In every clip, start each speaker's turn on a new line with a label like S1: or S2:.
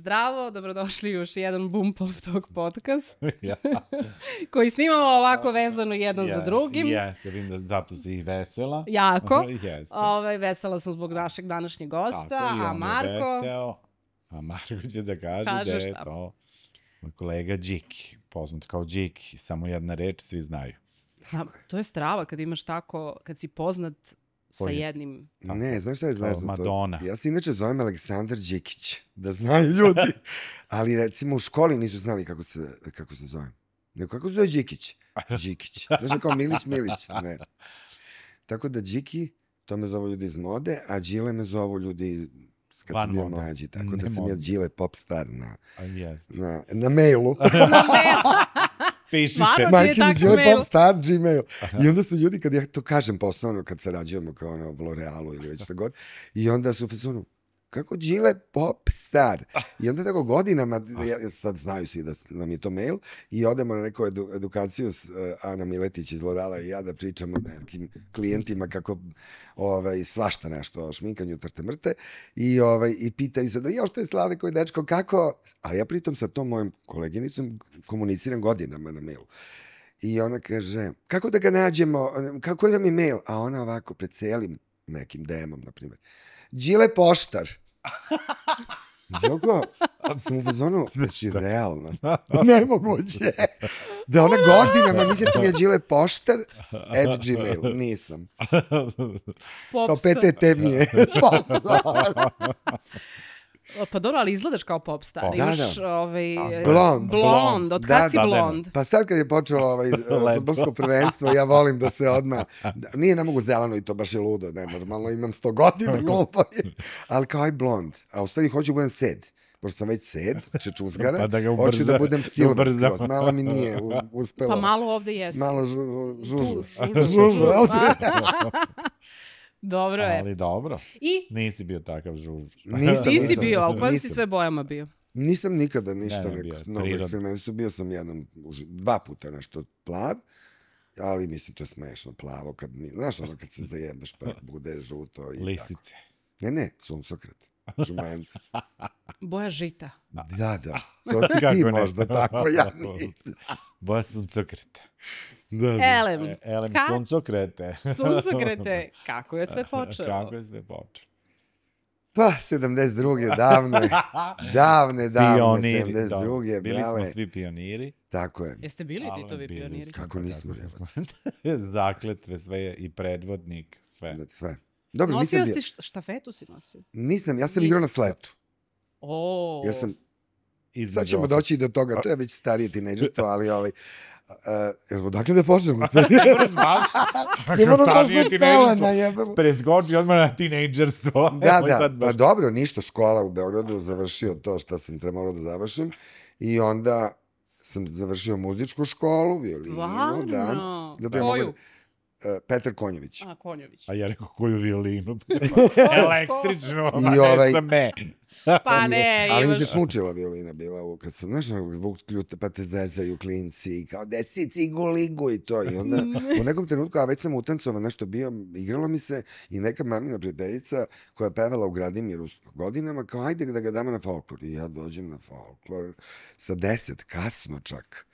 S1: Zdravo, dobrodošli u još jedan Bumpov Talk podcast koji snimamo ovako vezano jedan za drugim.
S2: Jeste, vidim da zato si i vesela.
S1: Jako.
S2: Jeste.
S1: Vesela sam zbog našeg današnjeg gosta,
S2: Tako,
S1: a Marko...
S2: A Marko će da kaže da je to moj kolega Điki, poznat kao Điki, samo jedna reč, svi znaju.
S1: To je strava kad imaš tako, kad si poznat sa jednim...
S3: Ne, znaš šta je zvezno?
S2: Madonna.
S3: Ja se inače zovem Aleksandar Đikić, da znaju ljudi. Ali recimo u školi nisu znali kako se zovem. Nego kako se zove Đikić? Đikić. Znaš kao Milić? Ne. Tako da Điki, to me zovu ljudi iz mode, a Đile me zovu ljudi kad sam bio mlađi. Tako da sam ja Đile popstar na mailu.
S2: Pišite.
S3: Majke mi Đile popstar, Gmail. I onda su ljudi, kad ja to kažem poslovno, kad sarađujemo kao u L'Orealu ili već šta god, i onda su fazonu, kako Đile popstar? I onda tako godinama, sad znaju svi da nam je to mail, i odemo na neku edukaciju s Ana Miletić iz L'Oreala i ja da pričamo nekim klijentima kako svašta nešto o šminkanju trte mrte i pitaju se da što je Slave koji dečko, kako? Ali ja pritom sa tom mojom koleginicom komuniciram godinama na mailu. I ona kaže, kako da ga nađemo, kako vam je mail? A ona ovako pred celim nekim DM-om, na primjer. Đile poštar. Joko, sam u fazonu, si realno. Nemoguće. Da ona godinama misli sam ja Đile poštar at Gmail. Nisam. Kao PTT mi je sponsor.
S1: Pa dobro, ali izgledaš kao popstar. Imaš
S3: blond.
S1: Od kad si blond?
S3: Pa sad kad je počelo fudbalsko prvenstvo, ja volim da se odmah... Ne mogu zeleno i to baš je ludo, ne, normalno imam 100 godina glupo. Ali kao aj blond. A u stvari hoću budem sed. Pošto sam već sed, čečuzgara, hoću da budem silver skroz. Malo mi nije uspelo.
S1: Pa malo ovde jesi.
S3: Malo žužu.
S1: Dobro je.
S2: Ali dobro.
S1: I?
S2: Nisi bio takav žuž.
S1: Nisi bio, a u kojim si sve bojama bio?
S3: Nisam nikada ništa mnogo eksperimentu. Bio sam 2 puta nešto plav, ali mislim to je smešno plavo. Znaš ono kad se zajebeš pa bude žuto i
S2: lisice.
S3: Tako. Ne, suncokret. Žumanjca.
S1: Boja žita.
S3: Da. To si ti možda tako, ja nisam.
S2: Boja suncokreta.
S1: Elem,
S2: suncokrete.
S1: Suncokrete. Kako je sve počelo?
S3: Pa, 72. davne, 72.
S2: Bili smo svi pioniri.
S3: Tako je.
S1: Jeste bili Titovi pioniri?
S3: Kako nismo.
S2: Zakletve, sve i predvodnik, sve.
S3: Dobro,
S1: nosio si štafetu si nosio?
S3: Nisam, ja sam igrao na sletu.
S1: Ja
S3: sam... Sad ćemo doći i do toga, to je već starije tinejdžerstvo, ali odakle da počnemo? Nemo da počne pelena, jebamo.
S2: Preskoči odmah na tinejdžerstvo.
S3: Da, pa dobro, ništa, škola u Beogradu, završio to što sam trebalo da završim i onda sam završio muzičku školu, violinu.
S1: Stvarno?
S3: Koju? Petar Konjović.
S1: Konjović.
S2: A ja rekao koju violinu? Električnu, sam me.
S1: Pa ne.
S3: Ali mi se smučila violina bila, kad sam, znaš, Vuk Ljuta, pa te zezaju klinci, i kao desi ciguligu i to. I onda u nekom trenutku, a već sam utancovan nešto bio, igralo mi se i neka mamina prijateljica koja je pevala u Gradimiru godinama, kao ajde da ga damo na folklor. I ja dođem na folklor sa 10, kasno čak.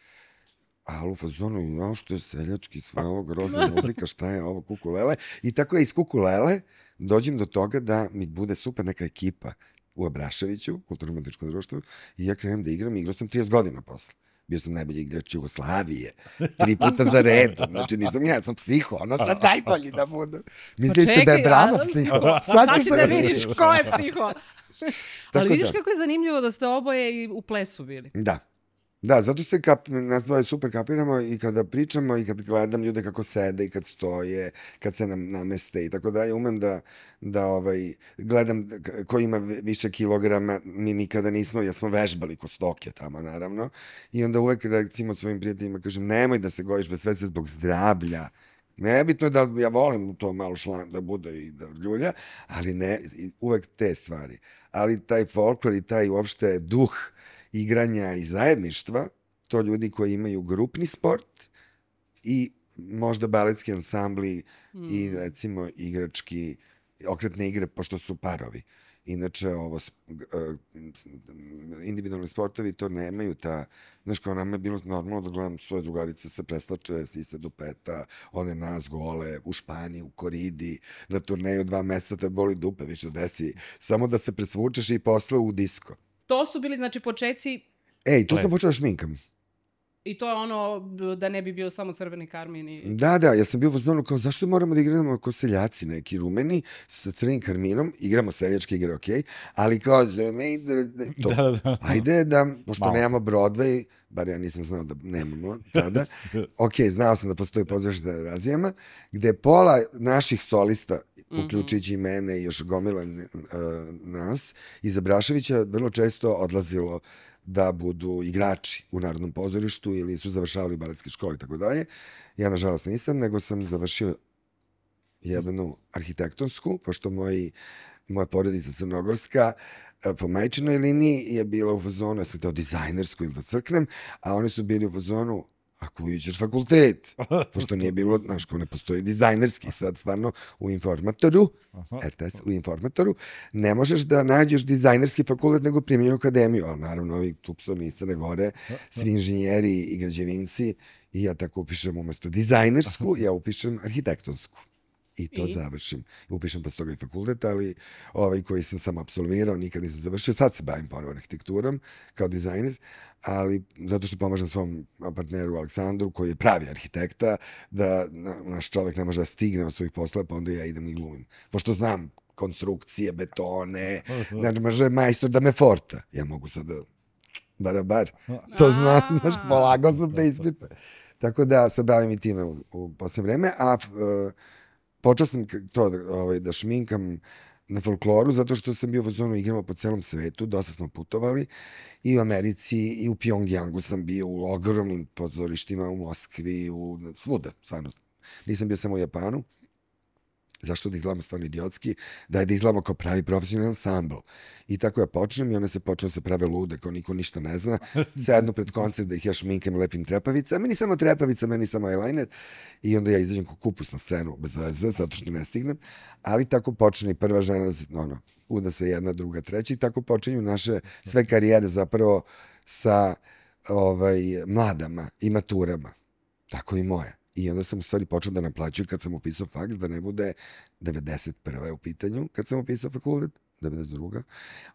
S3: A u fazonu, što je seljački, sve ovo grozna muzika, šta je ovo, kukulele. I tako je iz kukulele dođem do toga da mi bude super neka ekipa u Abraševiću, kulturno-umetničkom društvu, i ja krenem da igram, igrao sam 30 godina posle. Bio sam najbolji igrač Jugoslavije, 3 puta za redom, znači nisam ja sam psiho, ono sad najbolji da budem. Mislite da je Brano psiho?
S1: Sad ćeš da vidiš ko je psiho. Ali vidiš kako je zanimljivo da ste oboje i u plesu bili.
S3: Da, zato se nas dvoje super kapiramo i kada pričamo i kad gledam ljude kako sede i kad stoje, kad se nameste i tako da ja umem da gledam ko ima više kilograma, mi nikada nismo, ja smo vežbali ko stoke tamo naravno i onda uvek recimo svojim prijateljima kažem nemoj da se gojiš bez sve zbog zdravlja. Nebitno je da ja volim to malo šlan da bude i da ljulja, ali ne, uvek te stvari. Ali taj folklor i taj uopšte duh igranja i zajedništva, to ljudi koji imaju grupni sport i možda baletski ansambli i recimo igrački, okretne igre, pošto su parovi. Inače, individualni sportovi to nemaju znaš, kao nama je bilo normalno da gledam svoje drugarice se preslače, sise do peta, one nas gole, u Španiji, u koridi, na turneju 2 meseca te boli dupe, više desi, samo da se presvučeš i posle u disko.
S1: To su bili, znači, počeci...
S3: Tu sam počela šminkam.
S1: I to je ono da ne bi bio samo crveni karmin i...
S3: Da, ja sam bio u fazonu kao zašto moramo da igramo kao seljaci neki rumeni sa crvenim karminom, igramo seljačke igre, okej, ali kao ajde da, pošto nemamo Broadway, bar ja nisam znao da nemamo tada, znao sam da postoji pozorište na Terazijama, gde pola naših solista, uključujući i mene i još gomila nas, iz Abraševića vrlo često odlazilo da budu igrači u Narodnom pozorištu ili su završavali baletske škole i tako dalje. Ja, nažalost, nisam, nego sam završio jednu arhitektonsku, pošto moja porodica crnogorska po majčinoj liniji je bila u fazonu, ja sam teo dizajnersku ili da crknem, a oni su bili u fazonu, ako uđeš fakultet, pošto nije bilo, znaš, ko ne postoji dizajnerski, sad stvarno u informatoru, RTS, u informatoru, ne možeš da nađeš dizajnerski fakultet nego primjenju akademiju, ali naravno ovi tupsoni iz Crne Gore, svi inženjeri i građevinci, i ja tako upišem umesto dizajnersku, ja upišem arhitektonsku. I to završim. Upišem posle toga i fakultet, ali koji sam samo apsolvirao, nikad nisam završio. Sad se bavim ponovo arhitekturom kao dizajner, ali zato što pomažem svom partneru Aleksandru, koji je pravi arhitekta, da naš čovek ne može da stigne od svojih poslova, pa onda ja idem i glumim. Pošto znam konstrukcije, betone, znači može majstor da me forta. Ja mogu sad da bar. To znam, znaš, polagao sam te ispite. Tako da se bavim i time u posljednje vreme, a počeo sam to da šminkam na folkloru, zato što sam bio u fazonu igramo po celom svetu, dosta smo putovali, i u Americi, i u Pjongjangu sam bio, u ogromnim pozorištima, u Moskvi, svuda, stvarno. Nisam bio samo u Japanu. Zašto da izgledamo stvarno idiotski? Da izgledamo kao pravi profesionalni ansambl. I tako ja počnem i one se počnu da se prave lude, kao niko ništa ne zna. Sednu pred koncert da ih ja šminkam, lepim trepavice, a meni samo trepavica, meni samo eyeliner. I onda ja izađem kao kupus na scenu, bez veze, zato što ne stignem. Ali tako počne i prva žena, uda se jedna, druga, treća, i tako počinju naše sve karijere zapravo sa mladama i maturama. Tako i moje. I onda sam u stvari počeo da naplaćuju kad sam upisao faks, da ne bude 91. u pitanju, kad sam upisao fakultet, 92.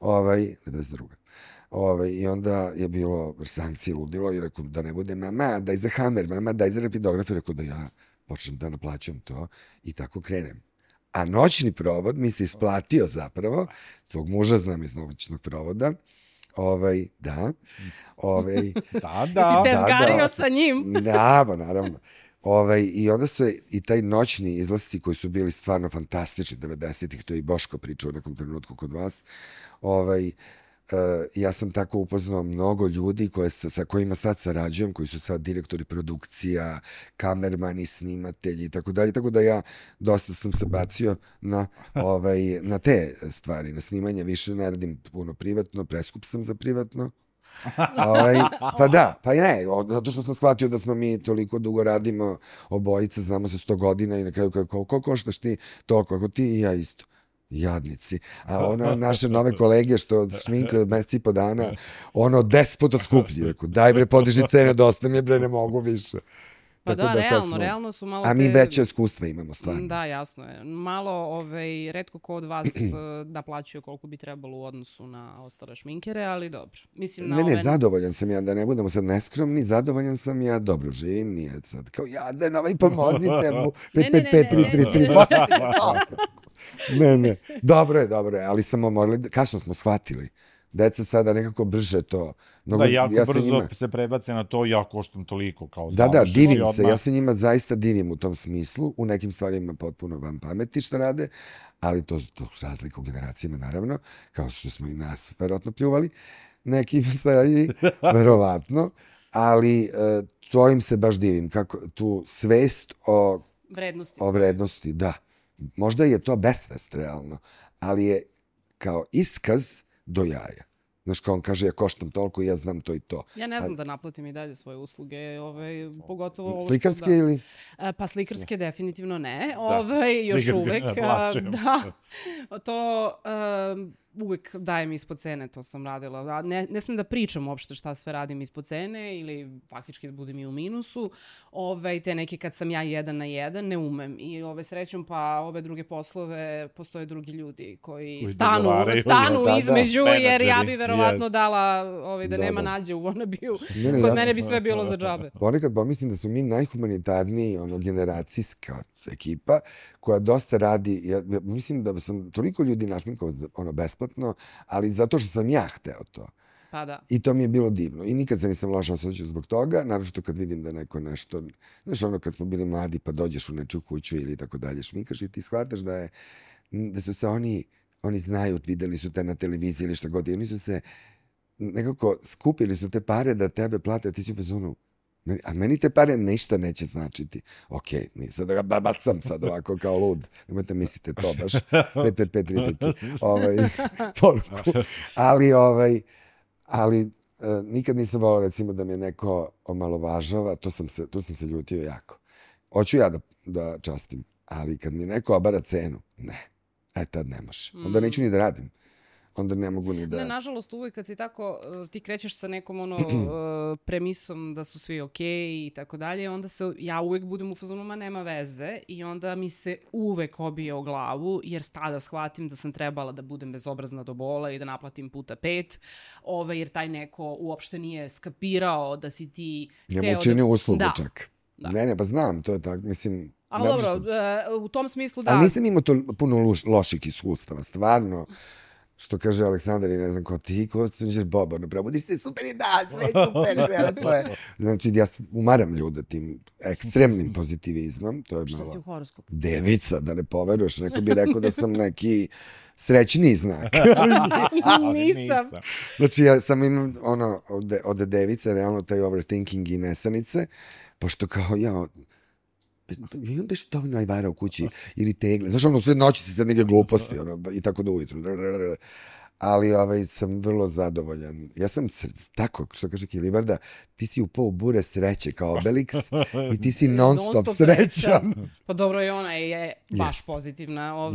S3: 92. I onda je bilo sankcije, ludilo, i rekao da ne bude mama, daj za Hammer, mama, daj za rapidograf, i rekao da ja počnem da naplaćam to i tako krenem. A noćni provod mi se isplatio zapravo, svog muža znam iz noćnog provoda, da.
S1: Si te zgario sa njim?
S3: Da, pa naravno. I onda su i taj noćni izlasci koji su bili stvarno fantastični 90-ih, to je i Boško pričao u nekom trenutku kod vas, ja sam tako upoznao mnogo ljudi sa kojima sad sarađujem, koji su sad direktori produkcija, kamermani, snimatelji i tako dalje, tako da ja dosta sam se bacio na te stvari, na snimanje, više ne radim puno privatno, preskup sam za privatno. Pa da, pa ne, zato što sam shvatio da smo mi toliko dugo radimo, obojice, znamo se 100 godina i na kraju koliko koštaš ti, toliko, ako ti i ja isto. Jadnici. A naše nove kolege što šminkaju mesec i po dana, 10 puta skuplji. Rekao, daj bre, podiži cene, dosta mi je bre, ne mogu više.
S1: Pa da, realno su malo...
S3: A mi veće iskustva imamo stvarno.
S1: Da, jasno je. Malo, retko ko od vas naplaćuje koliko bi trebalo u odnosu na ostale šminkere, ali dobro. Mislim,
S3: ne, zadovoljan sam ja, da ne budemo sad neskromni, zadovoljan sam ja, dobro živim, nije sad kao, jaden, pomozite mu, 5-5-5-3-3-3, Ne, dobro je, ali samo morali, kasno smo shvatili. Deca sada nekako brže to...
S2: Da, jako brzo se prebace na to, ja koštam toliko kao završeno.
S3: Da, divim se, ja se njima zaista divim u tom smislu, u nekim stvarima potpuno vam pameti što rade, ali to razlika u generacijama, naravno, kao što smo i nas verovatno pljuvali, neki stvari, verovatno, ali to im se baš divim, kako tu svest o vrednosti, da. Možda je to besvest, realno, ali je kao iskaz do jaja. Znaš, kao on kaže, ja koštam toliko i ja znam to i to.
S1: Ja ne znam da naplatim i dalje svoje usluge, pogotovo...
S3: Slikarske ili?
S1: Pa slikarske definitivno ne, još uvek. Da, to uvek dajem ispod cene, to sam radila. Ne smem da pričam uopšte šta sve radim ispod cene ili faktički da budem i u minusu. Te neke kad sam ja 1 na 1, ne umem. I srećom pa ove druge poslove postoje drugi ljudi koji stanu između, jer ja bi verovatno dala da nema nađe u Wannabe-u. Kod mene bi sve bilo za džabe.
S3: Ponekad pomislim da su mi najhumanitarniji generacijska ekipa koja dosta radi. Ja mislim da sam toliko ljudi našminkao besplatno, ali zato što sam ja hteo to.
S1: Pa da.
S3: I to mi je bilo divno. I nikad se nisam loše osjećao zbog toga, naročito kad vidim da neko nešto, znaš kad smo bili mladi pa dođeš u nečiju kuću ili tako dalje, šminkaš i ti shvataš da su se oni znaju, videli su te na televiziji ili šta god, i oni su se nekako skupili su te pare da tebe plate, a ti si u fazonu, a meni te pare ništa neće značiti. Okej, nisam da ga babacam sad ovako kao lud. Nemojte mislite to baš. 5 poruku. Ali nikad nisam volao recimo da me neko omalovažava, tu sam se ljutio jako. Hoću ja da častim, ali kad mi neko obara cenu, ne. Tad ne može. Onda neću ni da radim. Onda ne mogu ni da...
S1: Ne, nažalost, uvijek kad si tako, ti krećeš sa nekom premisom da su svi okej i tako dalje, onda ja uvijek budem u fazonu, ma nema veze, i onda mi se uvek obije o glavu, jer tada shvatim da sam trebala da budem bezobrazna do bola i da naplatim puta 5, jer taj neko uopšte nije skapirao da si ti...
S3: Njemu učini uslugu čak. Ne, pa znam, to je tako, mislim...
S1: Ali dobro, u tom smislu da...
S3: Ali nisam imao to puno loših iskustava, stvarno... Što kaže Aleksandar i ne znam ko ti, ko ćeš Boba, probudiš se, super je dan, sve super, lepo je. Znači, ja umaram ljude tim ekstremnim pozitivizmom. To je
S1: malo... Što si u horoskopu?
S3: Devica, da ne poveruješ. Neko bi rekao da sam neki srećniji znak.
S1: Nisam.
S3: Znači, ja sam imam od device, realno taj overthinking i nesanice, pošto kao imam baš dovoljno ajvara u kući ili tegle. Znaš, sve noći si sad neke gluposti i tako do ujutru. Ali sam vrlo zadovoljan. Ja sam tako, što kaže Kilibarda, ti si upao u bure sreće kao Obelix i ti si non stop srećan.
S1: Pa dobro, i ona je baš pozitivna.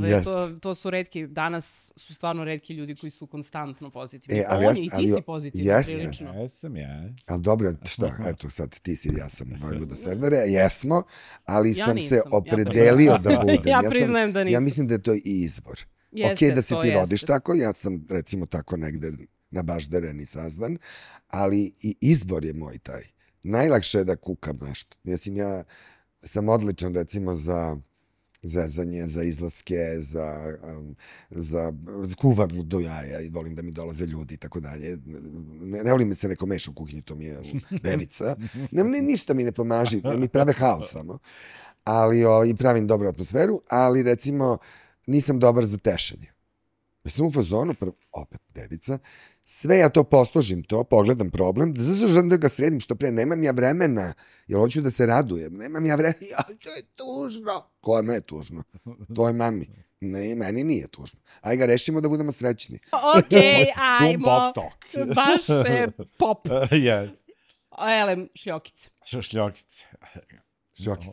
S1: To su retki, danas su stvarno retki ljudi koji su konstantno pozitivni. I ti si pozitivna prilično.
S2: Jesam ja.
S3: Ali dobro, šta, eto sad ti si, ja sam Vojvoda Serdare, jesmo, ali sam se opredelio da budem.
S1: Ja priznajem da nisam.
S3: Ja mislim da je to i izbor. Ok, da se ti rodiš tako, ja sam recimo tako negde nabaždaren i sazdan, ali i izbor je moj taj. Najlakše je da kukam nešto. Mislim, ja sam odličan recimo za zezanje, za izlaske, za kuvam do jaja i volim da mi dolaze ljudi i tako dalje. Ne volim se neko meša u kuhinji, to mi je devica. Ništa mi ne pomaži, mi prave haos samo. I pravim dobru atmosferu, ali recimo nisam dobar za tešenje. Ja sam u fazonu, opet devica, sve ja to posložim, pogledam problem, da ga sredim što pre, nemam ja vremena, jer hoću da se radujem, nemam ja vremena, to je tužno. Kome je tužno? To je mami. Ne, meni nije tužno. Aj ga rešimo da budemo srećni.
S1: Okej, ajmo. Baš pop.
S2: Yes.
S1: Elem, šljokice.
S2: Šljokice.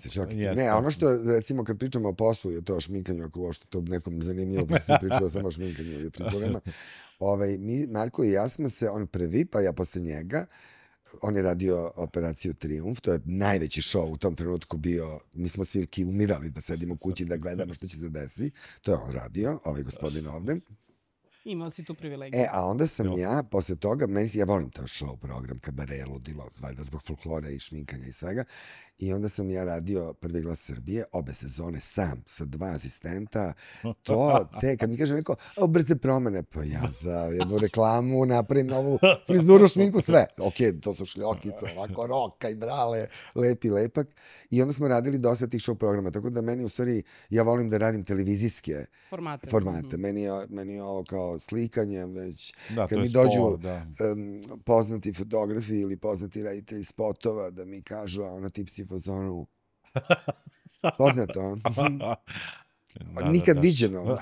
S3: Šljokice. Ne, ono što, recimo, kad pričamo o poslu i o to šminkanju, ako uopšte to nekom zanimljivo, pa sam pričala samo o šminkanju i frizurama, Marko i ja smo se, on prvi, pa ja posle njega, on je radio Operaciju Trijumf, to je najveći show u tom trenutku bio, mi smo svi umirali da sedimo u kući da gledamo što će se desi, to je on radio, ovaj gospodin ovde.
S1: Imao si tu privilegiju.
S3: A onda sam ja, posle toga, ja volim taj show program, kabare, ludilo, valjda zbog folklora i šminkanja i svega, i onda sam ja radio Prvi glas Srbije, obe sezone sam, sa 2 asistenta, kad mi kaže neko, brze promene, pa ja za jednu reklamu napravim novu frizuru, šminku, sve. To su šljokice, ovako roka i brale, lepi lepak. I onda smo radili dosta tih show programa, tako da meni u stvari, ja volim da radim televizijske formate. Meni je ovo kao slikanje, već kad mi dođu poznati fotografi ili poznati reditelji spotova da mi kažu, a ona tip si fazonu. Poznato. Nikad viđeno.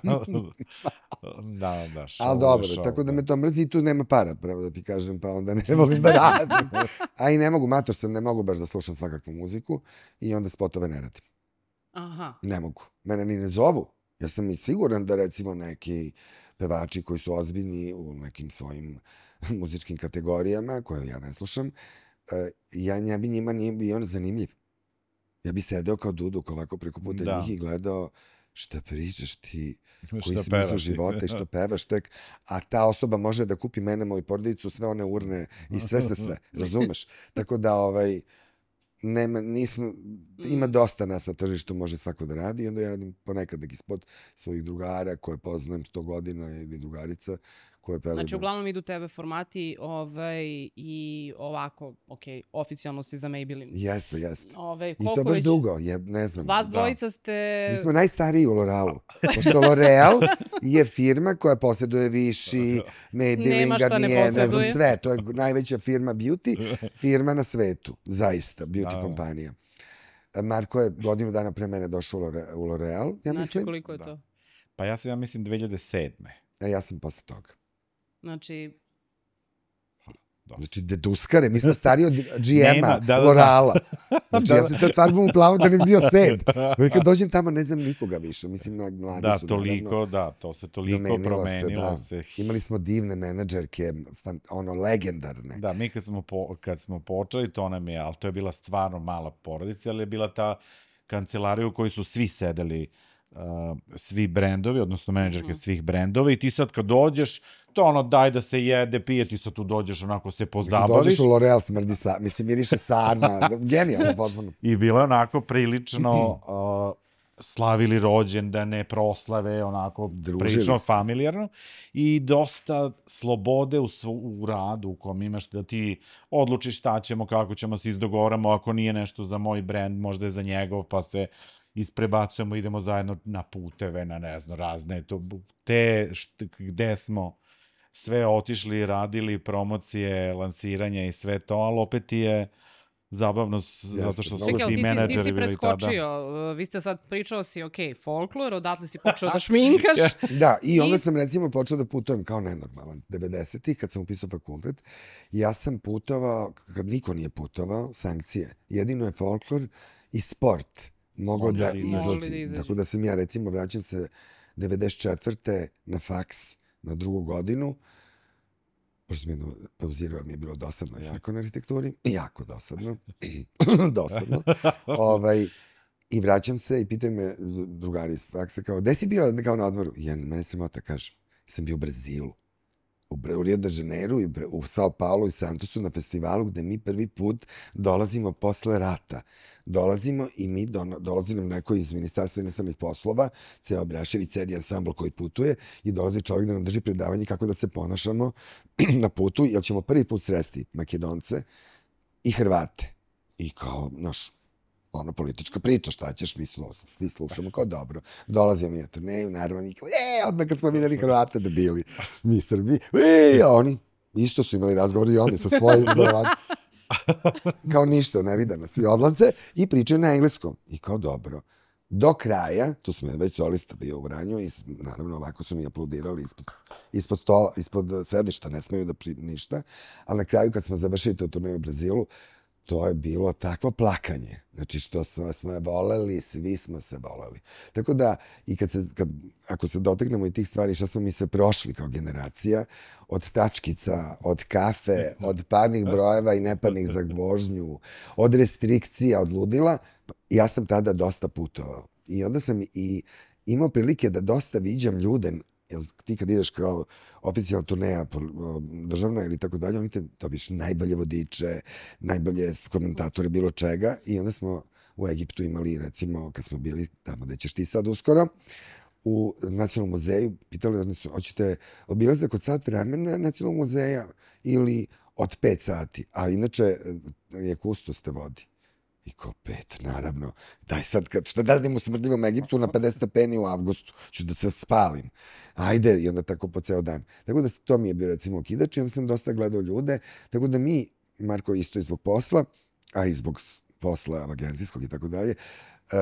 S3: Ali dobro, tako da me to mrzi i tu nema para, pravo da ti kažem, pa onda ne volim da radim. A i ne mogu, mator sam, ne mogu baš da slušam svakakvu muziku i onda spotove ne radim.
S1: Aha.
S3: Ne mogu. Mene ni ne zovu. Ja sam i siguran da recimo neki pevači koji su ozbiljni u nekim svojim muzičkim kategorijama, koje ja ne slušam, ja bi njima nije bio zanimljiv. Ja bi sedeo kao Duduk ovako preko puta njih i gledao šta pričaš ti, koji smislu života i što pevaš tek, a ta osoba može da kupi mene, moju porodicu, sve one urne i sve, razumeš? Tako da ima dosta nas na tržištu, može svako da radi i onda ja radim ponekad neki spot svojih drugara koje poznajem 100 godina ili drugarica koje pevaju.
S1: Znači, uglavnom idu tebe formati i ovako, oficijalno si za Maybelline.
S3: Jeste. I to baš dugo, ne znam.
S1: Vas dvojica ste...
S3: Mi smo najstariji u L'Orealu. Pošto L'Oreal je firma koja posjeduje Vichy, Maybelline, Garnier, ne znam sve. To je najveća firma beauty, firma na svetu. Zaista, beauty kompanija. Marko je godinu dana pre mene došao u L'Oreal, ja mislim.
S1: Znači, koliko je to?
S2: Pa ja mislim 2007.
S3: A ja sam posle toga.
S1: Znači,
S3: deduskare, mi smo stariji od GM-a, L'Oreala. Znači, ja se sad farbam u plavo da ne bi bio sed. Kad dođem tamo, ne znam nikoga više. Mislim, mladi su.
S2: To se toliko promenilo.
S3: Imali smo divne menadžerke, legendarne.
S2: Da, mi kad smo počeli, to nam je, ali to je bila stvarno mala porodica, ali je bila ta kancelarija u kojoj su svi sedeli, svi brendovi, odnosno menadžerke svih brendova i ti sad kad dođeš, to daj da se jede, pije, ti sad tu dođeš, onako se pozdabaviš.
S3: Kad dođeš u L'Oreal smrdi miriše sarma, genijalno potpuno.
S2: I bilo je onako prilično slavili rođendane, proslave, onako prilično familijarno i dosta slobode u radu u kom imaš da ti odlučiš šta ćemo, kako ćemo se izdogovaramo, ako nije nešto za moj brend, možda je za njegov, pa se isprebacujemo, idemo zajedno na puteve, na ne znam, razne, gde smo sve otišli, radili promocije, lansiranja i sve to, ali opet je zabavno zato što su svi menadžeri
S1: ti si preskočio, vi ste sad pričao si, folklor, odatle si počeo da šminkaš.
S3: Da, i onda sam recimo počeo da putujem kao nenormalan. 90-ih, kad sam upisao fakultet, ja sam putovao, kad niko nije putovao, sankcije. Jedino je folklor i sport mogao da izlazi. Tako da sam ja, recimo, vraćam se 94. na faks na 2. godinu, pošto sam jedno pauzirao, mi je bilo dosadno jako na arhitekturi, jako dosadno, i vraćam se i pitaju me drugari iz faksa kao, gde si bio kao na odmoru? I ja, mene sramota, kažem, sam bio u Brazilu, u Rio de Janeiro, u Sao Paulo i Santosu na festivalu gde mi prvi put dolazimo posle rata. Dolazimo i mi dolazimo neko iz Ministarstva inostranih poslova, ceo Brašević, cedi ansambl koji putuje i dolazi čovjek da nam drži predavanje kako da se ponašamo na putu, jer ćemo prvi put sresti Makedonce i Hrvate. I kao, politička priča, šta ćeš, mi svi slušamo kao dobro. Dolazimo mi na turneju, naravno, mi kao, odmah kad smo videli Hrvate da bili mi Srbi, oni isto su imali razgovor i oni sa svojim kao ništa, ne vide nas i odlaze i pričaju na engleskom. I kao dobro. Do kraja, tu sam već solista bio u Vranju i naravno ovako su mi aplaudirali ispod stola, ispod sedišta, ne smeju da ništa, ali na kraju kad smo završili tu turneju u Brazilu, to je bilo takvo plakanje. Znači što smo je voleli, svi smo se voleli. Tako da, i ako se doteknemo i tih stvari, što smo mi sve prošli kao generacija, od tačkica, od kafe, od parnih brojeva i neparnih za vožnju, od restrikcija, od ludila, ja sam tada dosta putovao. I onda sam i imao prilike da dosta viđam ljude, ti kad ideš kao oficijalna turneja državna ili tako dalje, oni te dobiš najbolje vodiče, najbolje komentatore bilo čega i onda smo u Egiptu imali, recimo, kad smo bili tamo gde ćeš ti sad uskoro, u Nacionalnom muzeju, pitali oni su, hoćete obilazak od sat vremena Nacionalnog muzeja ili od 5 sati, a inače je kustos te vodi. I kao 5, naravno. Daj sad, šta da radim u smrdljivom Egiptu na 50 stepeni u avgustu? Ću da se spalim. Ajde, i onda tako po ceo dan. Tako da to mi je bio, recimo, okidač i onda sam dosta gledao ljude. Tako da mi, Marko, isto i zbog posla, a i zbog posla agencijskog i tako dalje,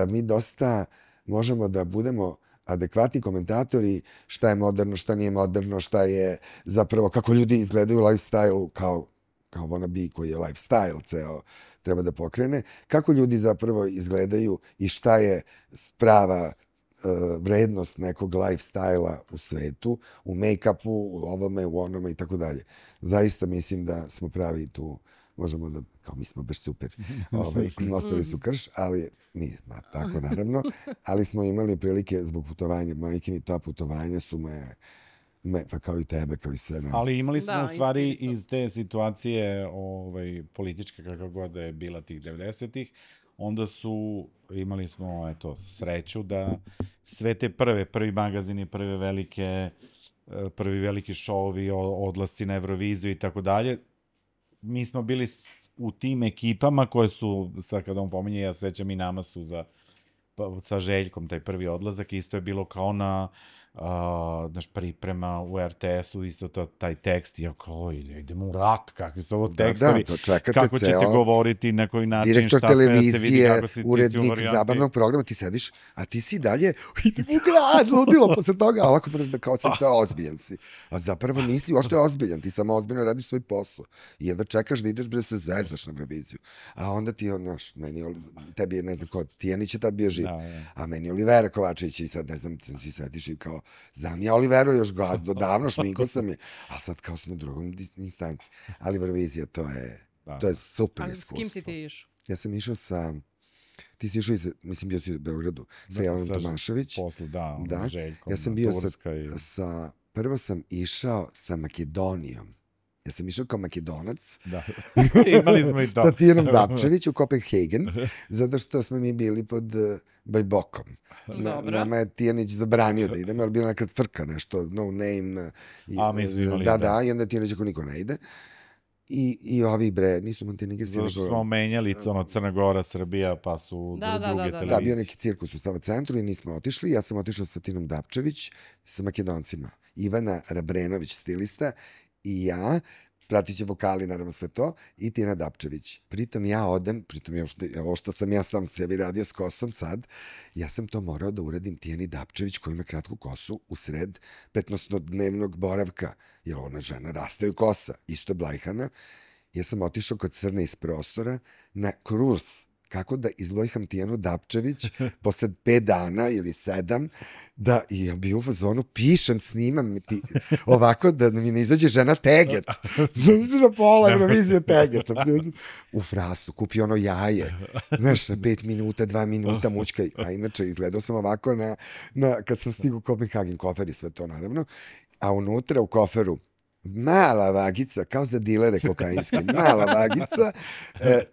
S3: mi dosta možemo da budemo adekvatni komentatori šta je moderno, šta nije moderno, šta je zapravo, kako ljudi izgledaju lifestyle kao wannabe koji je lifestyle ceo treba da pokrene, kako ljudi zapravo izgledaju i šta je prava vrednost nekog lifestyle-a u svetu, u make-upu, u ovome, u onome i tako dalje. Zaista mislim da smo pravi tu, možemo da, kao mi smo baš super, ostali su krš, ali nije tako naravno, ali smo imali prilike zbog putovanja, majke mi ta putovanja su pa kao i tebe, kao i sve nas.
S2: Ali imali smo u stvari iz te situacije političke, kakva god da je bila tih 90-ih, onda imali smo sreću da sve te prvi magazini, prvi veliki šovi, odlasci na Euroviziju i tako dalje, mi smo bili u tim ekipama koje su, sad kada on pominje, ja sećam i nama su sa Željkom, taj prvi odlazak, isto je bilo kao na priprema u RTS-u, isto taj tekst, ja kao, idemo u rat, kakvi su ovo tekstovi, kako ćete govoriti, na koji način, šta sve da se vidi, kako se
S3: urednik zabavnog programa, ti sediš, a ti si dalje, idemo u grad, ludilo, posle toga, a ovako kao sam se ozbiljan si. A zapravo nisi ošto je ozbiljan, ti samo ozbiljno radiš svoj posao. I jedva čekaš da ideš da se zezaš na Euroviziju. A onda ti, tebi je, ne znam ko, Tijanić je tad bio živ, a meni Olivera Kovačević i sad, ne znam, ti sediš i kao, znam ja Oliveru još davno, šminko sam je, a sad kao smo u drugom instanci. Ali Eurovizija, to je super iskustvo.
S1: Ali s kim si ti išao?
S3: Ja sam išao ti si išao, mislim, bio si u Beogradu, sa Jelenom Tomašević.
S2: Posle, Željkom.
S3: Ja sam bio prvo sam išao sa Makedonijom. Ja sam išao kao Makedonac.
S2: Da, imali smo i to.
S3: Sa Tijanom Dapčević u Kopenhagen, zato što smo mi bili pod Bajbokom. Nama je Tijanić zabranio da idemo, ali bila nekad frka nešto, no name.
S2: A mi smo imali,
S3: i onda Tijanić ako niko ne ide. I ovi nisu Montenegrci.
S2: Zato što smo menjali Crna Gora, Srbija, pa su druge televizije.
S3: Da, bio neki cirkus u Sava centru i nismo otišli. Ja sam otišao sa Tinom Dapčević, sa Makedoncima. Ivana Rabrenović, stilista, i ja, pratit će vokali, naravno sve to, i Tijana Dapčević. Pritom ja odem, ovo što sam ja sam sebi radio s kosom sad, ja sam to morao da uradim Tijani Dapčević, koja ima kratku kosu, u sred 15-dnevnog boravka, jer ona žena rastaju kosa, isto Blajhana. Ja sam otišao kod Crne iz prostora na kruz kako da izblojham Tijanu Dapčević posle 5 dana ili 7, da i ja bio u fazonu, pišem, snimam ovako da mi ne izađe žena teget. Znači na pola Eurovizije tegeta. U frasu, kupi ono jaje. Znaš, 5 minuta, 2 minuta mučkaj. A inače, izgledao sam ovako kad sam stigao u Kopenhagen, kofer i sve to naravno. A unutra u koferu mala vagica, kao za dilere kokainske, mala vagica,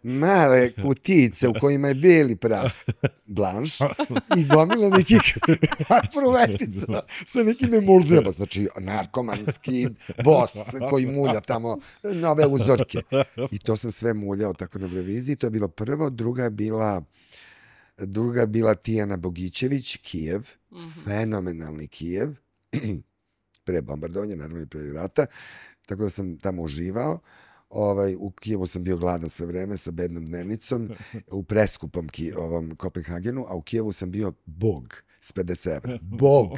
S3: male kutice u kojima je beli prah, blanš, i gomila nekih pruvetica sa nekim emulzijama, znači narkomanski bos koji mulja tamo nove uzorke. I to sam sve muljao tako na Euroviziji, to je bilo prvo, druga je bila Tijana Bogićević, Kijev, fenomenalni Kijev, pre bombardovanja, naravno i pre rata, tako da sam tamo uživao. U Kijevu sam bio gladan sve vreme sa bednom dnevnicom, u preskupom Kopenhagenu, a u Kijevu sam bio bog s 50 evra. Bog!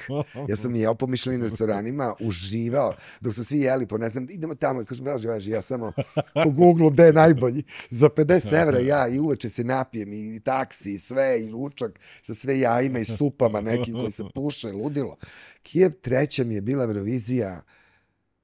S3: Ja sam jeo po Michelin restoranima, uživao, dok su svi jeli, ne znam, idemo tamo, i kažem, važi, ja samo po Google-u gde je najbolji. Za 50 evra ja i uveče se napijem, i taksi, i sve, i ručak, sa sve jajima i supama nekim koji se puše, ludilo. Kijev, treća mi je bila Eurovizija.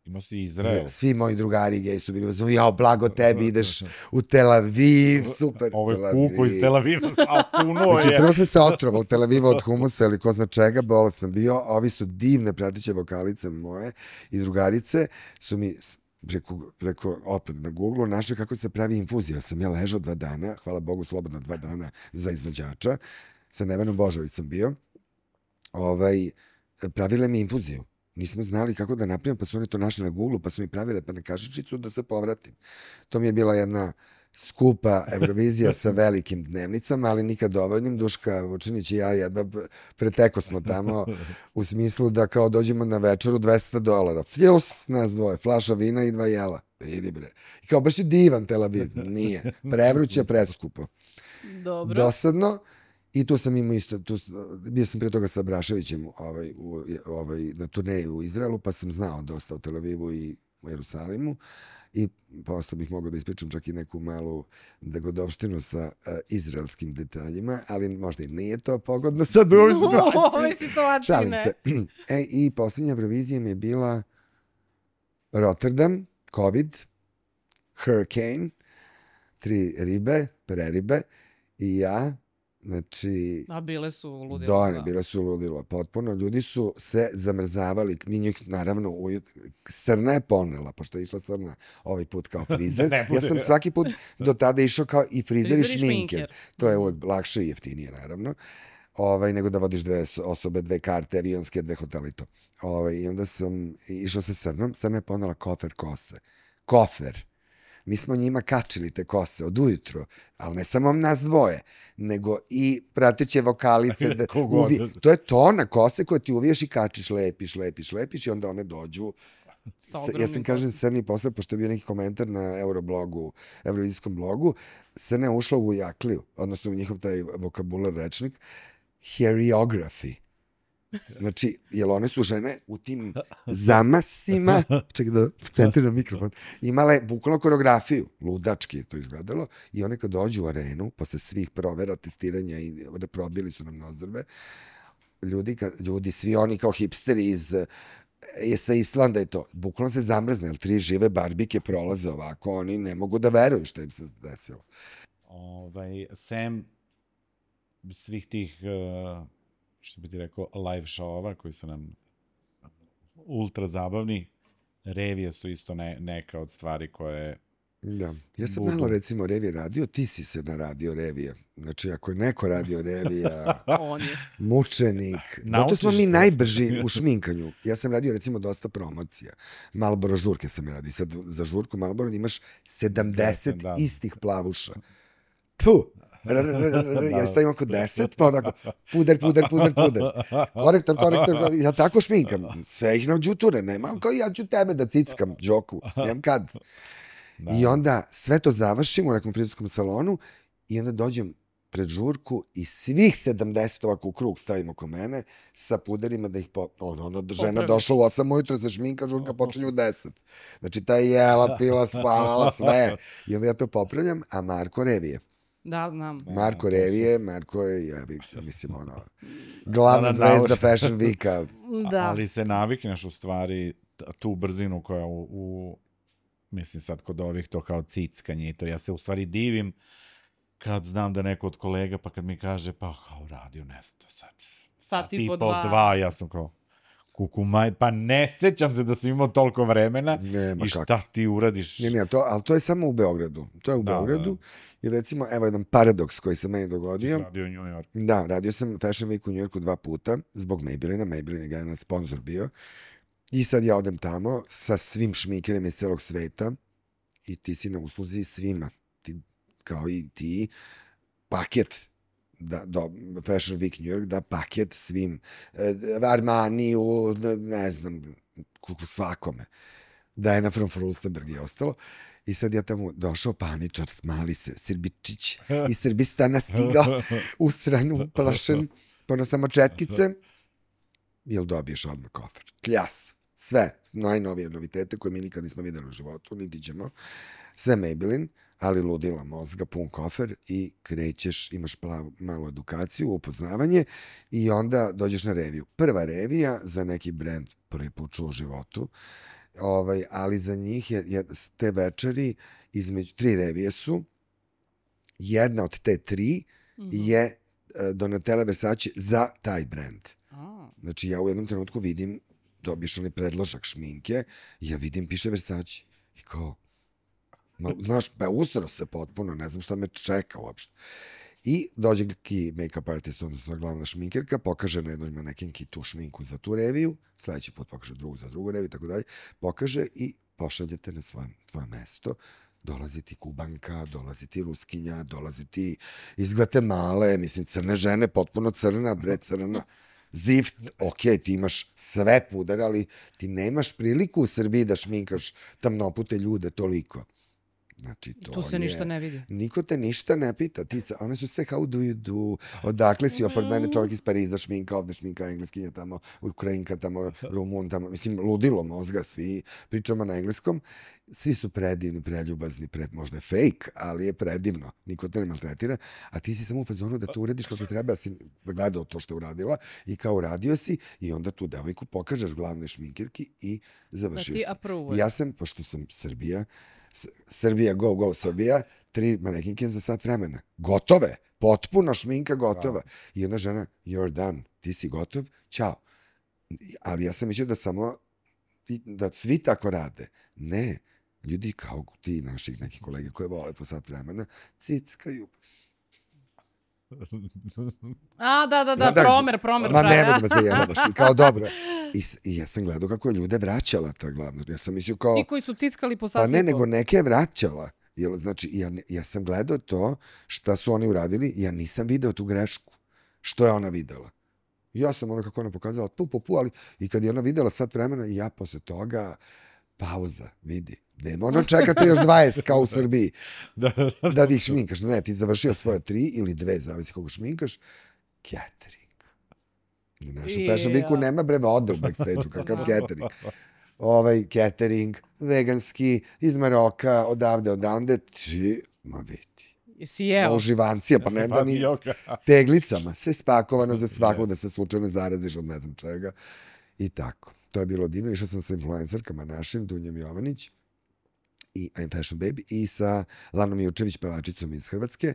S2: Imao si Izrael.
S3: Svi moji drugari gej su bili, jao, blago tebi, ideš u Tel Aviv, super
S2: Tel Aviv. Ovo je kuko iz Tel Aviva, a puno je.
S3: Znači, prvo sam se otrova u Tel Avivu od humusa ili ko zna čega, bolest sam bio, a ovi su divne pratiće vokalice moje i drugarice su mi preko opet na Google-u našli kako se pravi infuzija, jer sam ja ležao 2 dana, hvala Bogu, slobodno 2 dana za izvođača, sa Nevenom Božovicom bio, pravile mi infuziju. Nismo znali kako da napravim, pa su oni to našli na Google-u, pa su mi pravile na kašičicu da se povratim. To mi je bila jedna skupa Eurovizija sa velikim dnevnicama, ali nikad dovoljnim. Duška Vučinić i ja jedva preteko smo tamo, u smislu da kao dođemo na večeru $200. Fljus, nas dvoje, flaša vina i 2 jela. Idi bre. I kao baš je divan Tel Aviv. Nije. Prevruće, preskupo.
S1: Dobro.
S3: Dosadno. I tu sam imao isto, bio sam prije toga sa Braševićem na turneji u Izraelu, pa sam znao dosta o Tel Avivu i u Jerusalimu i posle bih mogao da ispričam čak i neku malu dogodovštinu sa izraelskim detaljima, ali možda i nije to pogodno sad u ovoj situaciji.
S1: U ovoj situaciji
S3: Šalim
S1: ne.
S3: se. I posljednja Eurovizija mi je bila Rotterdam, COVID, Hurricane, 3 ribe, preribe i ja, znači...
S1: A bile su ludilo.
S3: Da, bile su ludilo. Potpuno. Ljudi su se zamrzavali. Mi njih, naravno, Srna je ponela, pošto je išla Srna ovaj put kao frizer. Ja sam svaki put do tada išao kao i frizer i šminker. To je uvek lakše i jeftinije, naravno. Nego da vodiš 2 osobe, 2 karte, avionske, 2 hotela i to. I onda sam išao sa Srnom. Srna je ponela kofer kose. Kofer. Mi smo njima kačili te kose od ujutro, ali ne samo nas dvoje, nego i prateće vokalice. To je tona kose koje ti uviješ i kačiš, lepiš i onda one dođu. Ja sam kažem Crni posle, pošto je bio neki komentar na Euroblogu, Eurovizijskom blogu, Crna je ušla u jakliju, odnosno u njihov taj vokabular rečnik, heriography. Znači, jer one su žene u tim zamasima, čekaj da centriram mikrofon, imale bukvalno koreografiju, ludački je to izgledalo, i one kad dođu u arenu, posle svih provera, testiranja i probili su nam nozdrve, ljudi, svi oni kao hipsteri sa Islanda i to, bukvalno se zamrzne, jer 3 žive barbike prolaze ovako, oni ne mogu da veruju što im se desilo.
S2: Sem svih tih... što bi ti rekao, live show-ova koji su nam ultra zabavni. Revije su isto neka od stvari koje...
S3: Da, ja sam malo recimo Revije radio, ti si se naradio Revije. Znači, ako je neko radio Revija, mučenik. Zato smo mi najbrži u šminkanju. Ja sam radio recimo dosta promocija. Marlboro žurke sam je radio. Sad za žurku Marlboro imaš 70 istih plavuša. Puh! Ja stavim oko 10, pa onako puder. Korektor, ja tako šminkam. Sve ih nam džuture, nemam kao ja ću tebe da cickam, džoku, nemam kad. I onda sve to završim u nekom frizerskom salonu i onda dođem pred žurku i svih 70 ovako u krug stavim oko mene sa puderima da ih žena došla u 8 ujutro za šminka, žurka počinje u 10. Znači ta je jela, pila, spavala, sve. I onda ja to popravljam, a Marko Revije.
S1: Da, znam.
S3: Marko Revije, Marko je, mislim, glavna zvezda Fashion Weeka.
S1: Da.
S2: Ali se navikneš u stvari tu brzinu koja mislim sad kod ovih to kao cickanje i to. Ja se u stvari divim kad znam da neko od kolega pa kad mi kaže pa kao radio ne znam to sad.
S1: Sat i po 2.
S2: Ja sam kao kukumaj, pa ne sećam se da sam imao toliko vremena i šta ti uradiš.
S3: Ne, ali to je samo u Beogradu. To je u Beogradu. I recimo, evo jedan paradoks koji se meni dogodio.
S2: Ti radio u New York.
S3: Da, radio sam Fashion Week u New Yorku 2 puta, zbog Maybellina. Maybellin je generalno sponsor bio. I sad ja odem tamo sa svim šminkerima iz celog sveta i ti si na usluzi svima. Kao i ti, paket Fashion Week New York, da paket svim Armaniju, ne znam, svakome. Diana from Furstenberg je ostalo. I sad ja tamo došao paničar, smali se, Srbičić iz Srbistana stigao, usran, uplašen, pono samo četkice, jel dobiješ odmah kofer. Kljas, sve, najnovije novitete koje mi nikad nismo videli u životu, niti ćemo, sve Maybelline, ali ludila mozga, pun kofer i krećeš, imaš malu edukaciju, upoznavanje i onda dođeš na reviju. Prva revija za neki brand prvi put čuo u životu, ali za njih je te večeri između 3 revije su, jedna od te 3 je Donatella Versace za taj brand. Znači ja u jednom trenutku vidim, dobiješ onaj predložak šminke i ja vidim piše Versace i kao znaš, usro se potpuno, ne znam šta me čeka uopšte. I dođe neki make-up artist, odnosno glavna šminkerka, pokaže na jednoj manekenki tu šminku za tu reviju, sledeći put pokaže drugu za drugu reviju, tako dalje, pokaže i pošaljete na svoje mesto. Dolazi ti Kubanka, dolazi ti Ruskinja, dolazi ti iz Gvatemale, mislim, crne žene, potpuno crna, crna, zift, ti imaš sve puder, ali ti nemaš priliku u Srbiji da šminkaš tamnopute ljude toliko. Znači, to
S1: tu se ništa ne vidi.
S3: Niko te ništa ne pita. One su sve how do you do, odakle si, opet mene čovjek iz Pariza šminka, ovde šminka, engleskinja tamo, Ukrajinka tamo, Rumun tamo, mislim, ludilo mozga, svi pričamo na engleskom, svi su predivni, preljubazni, možda je fake, ali je predivno, niko te ne maltretira, a ti si samo u fazonu da to urediš kako treba, si gledao to što je uradila i kao uradio si i onda tu devojku pokažeš glavne šminkirki i završio si. Ja sam, pošto sam Srbija, go, Srbija, 3 manekinke za sat vremena. Gotove. Potpuno šminka gotova. I jedna žena, you're done. Ti si gotov, ćao. Ali ja sam mislio da svi tako rade. Ne. Ljudi kao ti naših nekih kolege koje vole po sat vremena, cickaju.
S1: Da, promer.
S3: Ma nemoj da me zajebavaš. I kao dobro. I ja sam gledao kako je ljude vraćala ta glavna. Ja sam mislio kao...
S1: Ti koji su cickali po sat.
S3: Pa ne, nego neke je vraćala. Znači, ja sam gledao to šta su oni uradili, ja nisam video tu grešku. Što je ona videla? Ja sam ono kako ona pokazala, ali i kad je ona videla sat vremena, i ja posle toga, pauza, vidi. Nema ono čekate još 20 kao u Srbiji da ti šminkaš. Ne, ti završio svoje 3 ili 2, zavisi koga šminkaš. Catering. Na našem Fashion Weeku nema vode u backstage-u, kakav catering. Catering, veganski, iz Maroka, odavde, ti, ma vidi.
S1: Jesi jeo?
S3: Uživancija, pa ne da ni teglicama. Sve spakovano za svakog da se slučajno zaraziš od ne znam čega. I tako. To je bilo divno. Išao sam sa influencerkama našim, Dunjom Jovanić i I'm Fashion Baby i sa Lanom Jučević, pevačicom iz Hrvatske.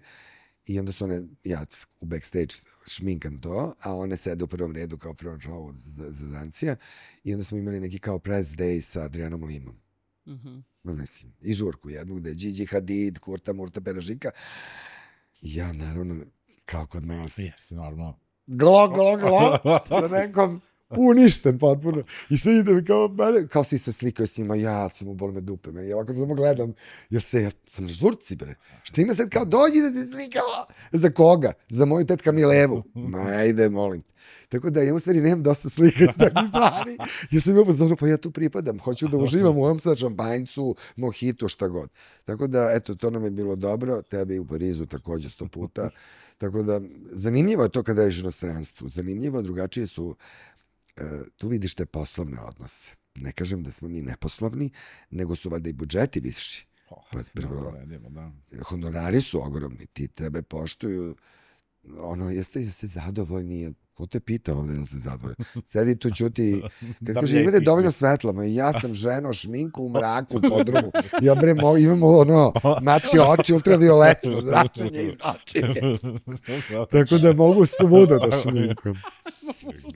S3: I onda su one, ja u backstage šminkam to, a one sede u prvom redu kao front row za Zancija. I onda smo imali neki kao press day sa Adrianom Limom. Mislim, i žurku jednu gde je Gigi Hadid, Kurta Murta Peražika. I ja naravno, kao kod nas.
S2: Jesi, normalno.
S3: Glo, da nekom uništen potpuno. I sve ide mi kao si se slikao s njima, ja sam u boli me dupe. Meni ovako samo gledam, jer ja sam na žurci, bre. Što ima sad kao dođi da ti slikava. Za koga? Za moju tetka Milevu. Ma, ajde, molim te. Tako da ja u stvari nemam dosta slika takvih stvari. Ja sam imao pozorno, pa ja tu pripadam. Hoću da uživam u ovom sad šampanjcu, mohitu, šta god. Tako da, eto, to nam je bilo dobro. Tebe i u Parizu takođe 100 puta. Tako da, zanimljivo je to kada ješ u inostranstvu. Zanimljivo, drugačije su, tu vidiš te poslovne odnose. Ne kažem da smo mi neposlovni, nego su valjda i budžeti viši. Pa prvo, honorari su ogromni. Ti tebe poštuju. Jeste zadovoljni? Ko te pita ovde da se zadovoljni? Sedi tu, ćuti. Kad kaže, imate dovoljno svetla, ja sam ženo, šminku u mraku, podrumu. Ja bre, imamo mači oči, ultravioletno zračenje iz očine. Tako da mogu svuda da šminkam.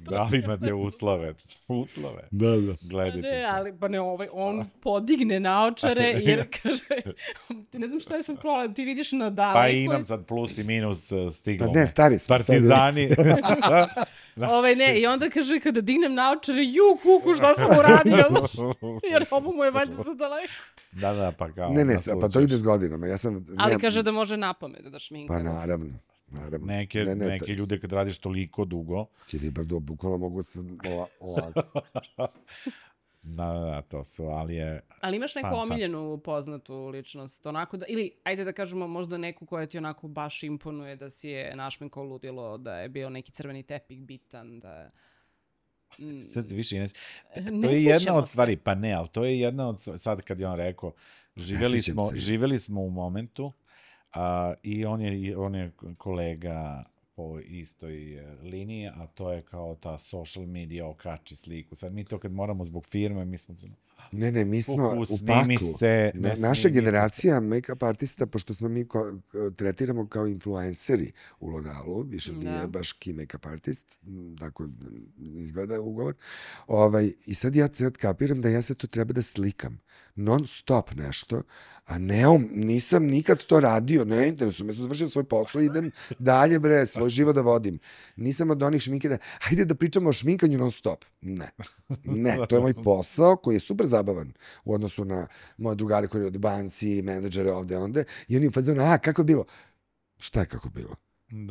S2: Da li imate uslove?
S3: Da.
S2: Gledajte se.
S1: Ali, pa ne, on podigne naočare, jer kaže, ne znam šta je sad problem, ti vidiš na daleko.
S2: Pa imam sad plus i minus stiglo.
S3: Pa ne, stari smo.
S2: Partizani.
S1: Ne, i onda kaže, kada dignem naočare, kuku, šta sam uradio? Jer ovo mu je valjda za daleko.
S2: Da, pa kao.
S3: Ne, pa to ide s godinama.
S1: Ali kaže da može napamet da šminka.
S3: Pa naravno.
S2: Neke ljude kad radiš toliko dugo.
S3: Kilibardo, bukvalno mogu se ovako.
S2: Da, to su, ali je...
S1: Ali imaš neku omiljenu poznatu ličnost, onako da, ili ajde da kažemo možda neku koja ti onako baš imponuje da si je našminkao ludilo, da je bio neki crveni tepih bitan, da je...
S2: Sad se više to je jedna od stvari, pa ne, ali to je jedna od, sad kad je on rekao, živeli smo u momentu i on je kolega po istoj liniji, a to je kao ta social media okači sliku. Sad mi to kad moramo zbog firme, mi smo...
S3: Ne, mi smo u paklu. Naša generacija make-up artista, pošto smo mi tretiramo kao influenceri u L'Orealu, više nije baš key make-up artist, tako izgleda ugovor. I sad ja kapiram da ja sad to treba da slikam. Non stop nešto, a nisam nikad to radio, ne interesujem, ja sam završio svoj posao, idem dalje, bre, svoj život da vodim. Nisam od onih šminkera, hajde da pričamo o šminkanju non stop. Ne, to je moj posao koji je super zabavan u odnosu na moje drugare koji od banci, menadžere ovde, onde, i oni u fazonu, kako je bilo? Šta je kako bilo?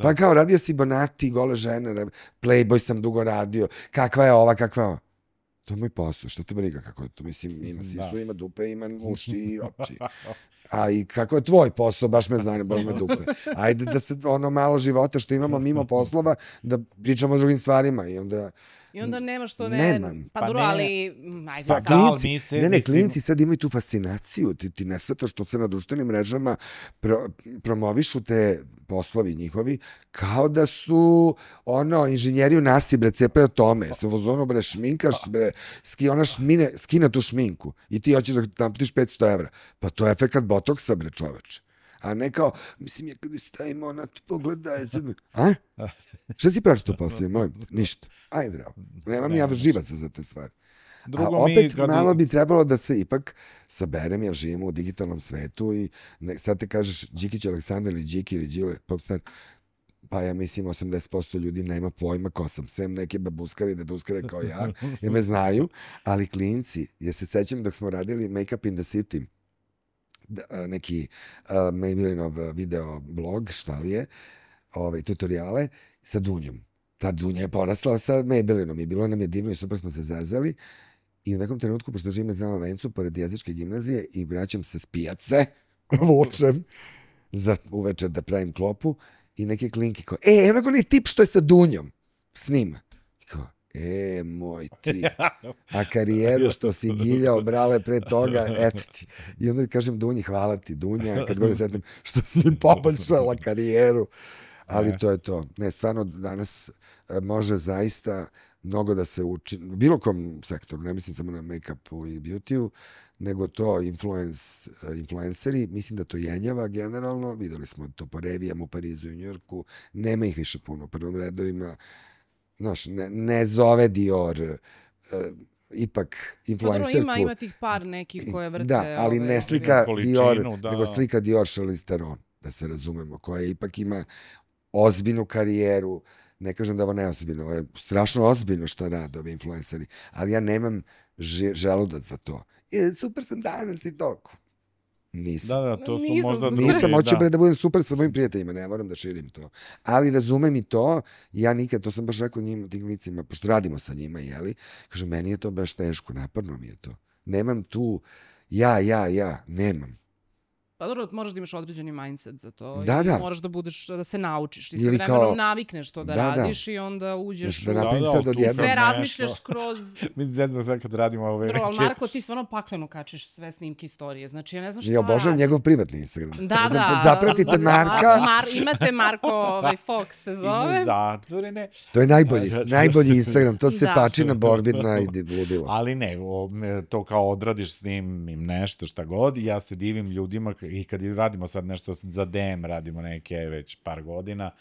S3: Pa kao, radio si Bonati, Gole žene, Playboy sam dugo radio, kakva je ova, kakva je ova? to je moj posao, što te briga kako je to, mislim, ima sisu, ima dupe, ima uši i oči. A i kako je tvoj posao, baš me zanima, ima dupe. Ajde da se ono malo života što imamo mimo poslova, da pričamo o drugim stvarima i onda...
S1: I onda nema što
S3: Nemam.
S1: Pa dobro, ali... Ajde
S3: Pa
S1: sad.
S3: klinci sad imaju tu fascinaciju, ti ne svetaš što se na društvenim mrežama promovišu te poslovi njihovi, kao da su inženjeri u nasi, bre, cepaju tome, se vozono, bre, šminkaš, bre, ona skina tu šminku i ti hoćeš da naplatiš 500 evra. Pa to je efekat botoksa, bre, čoveče. A ne kao, mislim, ja kada stavim ona, pogledaj. A? Šta si praviš to poslije, molim? Ništa. Ajde, dravo. Nemam ja živaca za te stvari. A opet malo bi trebalo da se ipak saberem, jer živimo u digitalnom svetu i sad te kažeš Đikić Aleksandar ili Điki ili Đile, popstar, pa ja mislim 80% ljudi nema pojma ko sam, sem neke babuskare i deduskare kao ja, jer me znaju, ali klinci, ja se sećam dok smo radili Make Up in the City, neki Maybellinov video blog, šta li je, tutoriale, sa Dunjom. Ta Dunja je porasla sa Maybellinom i bilo nam je divno i super smo se zazali i u nekom trenutku, pošto živim na Zelenom vencu, pored jezičke gimnazije i vraćam se s pijace, vučem za uveče da pravim klopu i neke klinke kao, onako nije tip što je sa Dunjom, snima. I kao, moj ti, a karijeru što si giljao, brale, pre toga, eto ti. I onda kažem Dunji, hvala ti, Dunja, kad god setim što si poboljšala karijeru. Ali to je to. Ne, stvarno danas može zaista mnogo da se uči, u bilo kom sektoru, ne mislim samo na make-upu i beauty-u, nego to influenceri, mislim da to jenjava generalno, videli smo to po revijama u Parizu i Njujorku, nema ih više puno u prvom redovima, znaš, ne zove Dior, ipak influencerku.
S1: Ima tih par nekih koje vrte.
S3: Da, ali ne slika Dior, nego slika Dior Charlize Theron, da se razumemo, koja ipak ima ozbiljnu karijeru, ne kažem da ovo neozbiljno, ovo je strašno ozbiljno što rade ovi influenceri, ali ja nemam želudac za to. Super sam danas i toliko. Nisam.
S2: Da, to su možda drugi.
S3: Nisam, hoću da budem super sa mojim prijateljima, ne moram da širim to. Ali razumem i to, ja nikad, to sam baš rekao njima, tim licima, pošto radimo sa njima, jeli, kažem, meni je to baš teško, naporno mi je to. Nemam tu, nemam.
S1: Pa dobro, moraš da imaš određeni mindset za to.
S3: Da.
S1: Moraš da se naučiš. Ti se vremenom navikneš to da radiš i onda uđeš u... Sve razmišljaš skroz...
S2: Mislim, zezno sad kad radimo ove
S1: neke... Ali Marko, ti stvarno pakleno kačeš sve snimke istorije. Znači, ja ne znam šta
S3: ja obožavam njegov privatni Instagram.
S1: Da.
S3: Zapratite Marka.
S1: Imate Marko, Fox se zove.
S2: Zatvorene.
S3: To je najbolji Instagram. To se pači na Borbidna i ludilo.
S2: Ali ne, to kao odradiš s njim nešto šta god i ja se divim ljudima i kad radimo sad nešto za DM, radimo neke već par godina,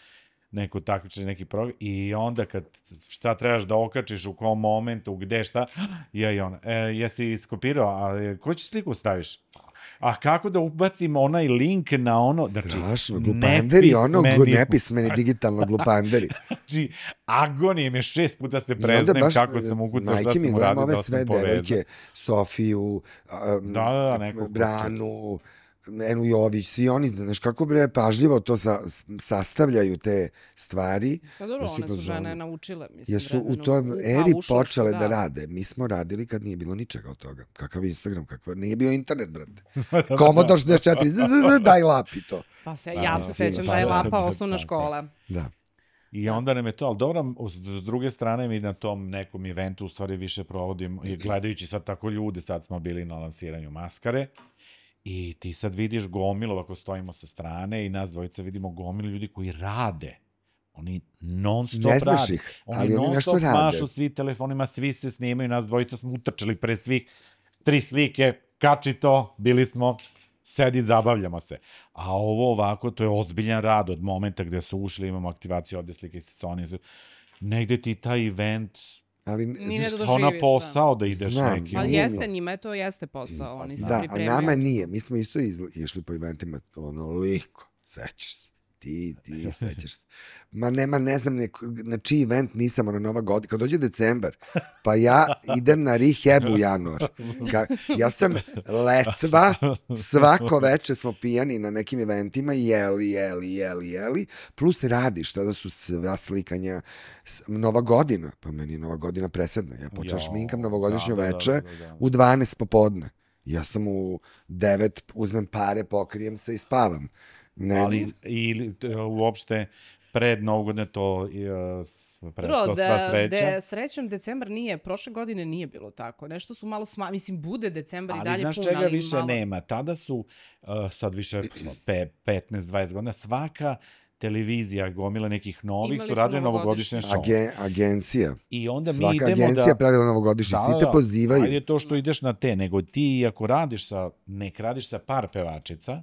S2: neko takmičenje, neki program, i onda kad šta trebaš da okačiš, u kom momentu, gde, šta, i ona, jesi skopirao, a koju će sliku staviš? A kako da ubacim onaj link na ono...
S3: Strašno, glupanderi, nepismeni digitalno glupanderi.
S2: Znači, agonije me 6 puta se preznem kako sam ukucao, šta sam uradio, da sam povezao.
S3: Sofiju, Branu, Enu Jović, svi oni, znaš kako bre, pažljivo to sastavljaju te stvari.
S1: Pa dobro, one su žene naučile, mislim.
S3: Jer su u toj eri počele da rade. Mi smo radili kad nije bilo ničega od toga. Kakav Instagram, nije bio internet, brate. Commodore 64, daj lapi to.
S1: Pa ja se sećam daj lapa, osnovna škola.
S3: Da.
S2: I onda nam je to, ali dobro, s druge strane mi na tom nekom eventu u stvari više provodim, gledajući sad tako ljude, sad smo bili na lansiranju maskare, i ti sad vidiš gomilu, ako stojimo sa strane i nas dvojica vidimo gomilu ljudi koji rade. Oni non-stop rade.
S3: Ne znaš ih, ali oni nešto rade.
S2: Non-stop mašu svi telefonima, svi se snimaju, nas dvojica smo utrčali pre svih 3 slike, kači to, bili smo, sedi, zabavljamo se. A ovo ovako, to je ozbiljan rad od momenta gde su ušli, imamo aktivaciju ovde slike sa Sony. Negde ti taj event...
S3: Ali
S2: ona posao da ideš neki.
S1: Ali jeste, njima to jeste posao. Oni se pripremaju.
S3: A nama nije. Mi smo isto išli po eventima onoliko, sećaš se. ti sećaš se. Ma nema, ne znam na čiji event nisam, Nova godina. Kad dođe decembar, pa ja idem na rehab u januar. Ja sam letva, svako veče smo pijani na nekim eventima, jeli, plus radiš, tada su sva slikanja, Nova godina, pa meni je Nova godina presedna. Ja počeo šminkam novogodišnje veče u 12 popodne. Ja sam u 9, uzmem pare, pokrijem se i spavam.
S2: Ali ili uopšte pred Novu godinu to prestao sva sreća.
S1: Srećom, decembar nije, prošle godine nije bilo tako. Nešto su malo mislim, bude decembar i dalje pun, ali
S2: znaš čega više malo... nema? Tada su, sad više 15-20 godina, svaka televizija, gomila nekih novih, su radili novogodišnje show.
S3: Agencija.
S2: I onda
S3: svaka
S2: mi idemo
S3: agencija pravila novogodišnje, svi te pozivaju.
S2: Ajde to što ideš na te, nego ti ako radiš sa par pevačica,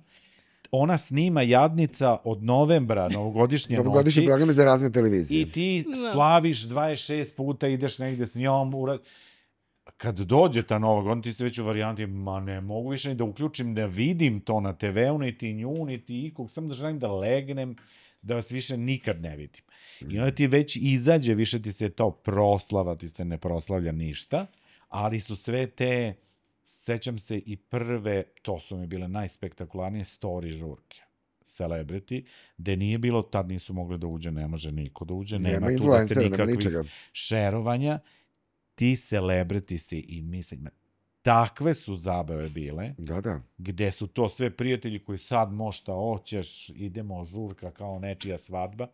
S2: ona snima Jadnica od novembra, novogodišnje
S3: novogodišnje programe za razne televizije.
S2: I ti slaviš 26 puta, ideš negde s njom. Kad dođe ta Nova godina, ti se već u varijanti, ma ne mogu više ni da uključim, da vidim to na TV-u, niti nju, niti ikog, samo da želim da legnem, da vas više nikad ne vidim. I onda ti već izađe, više ti se to proslava, ti se ne proslavlja ništa, ali su sve te... Sećam se i prve, to su mi bile najspektakularnije, story žurke, celebrity, gde nije bilo, tad nisu mogli da uđe, ne može niko da uđe, nema tu da se nikakvih šerovanja, ti celebrity si i mislim, takve su zabave bile, gde su to sve prijatelji koji sad možda hoćeš, idemo žurka kao nečija svadba,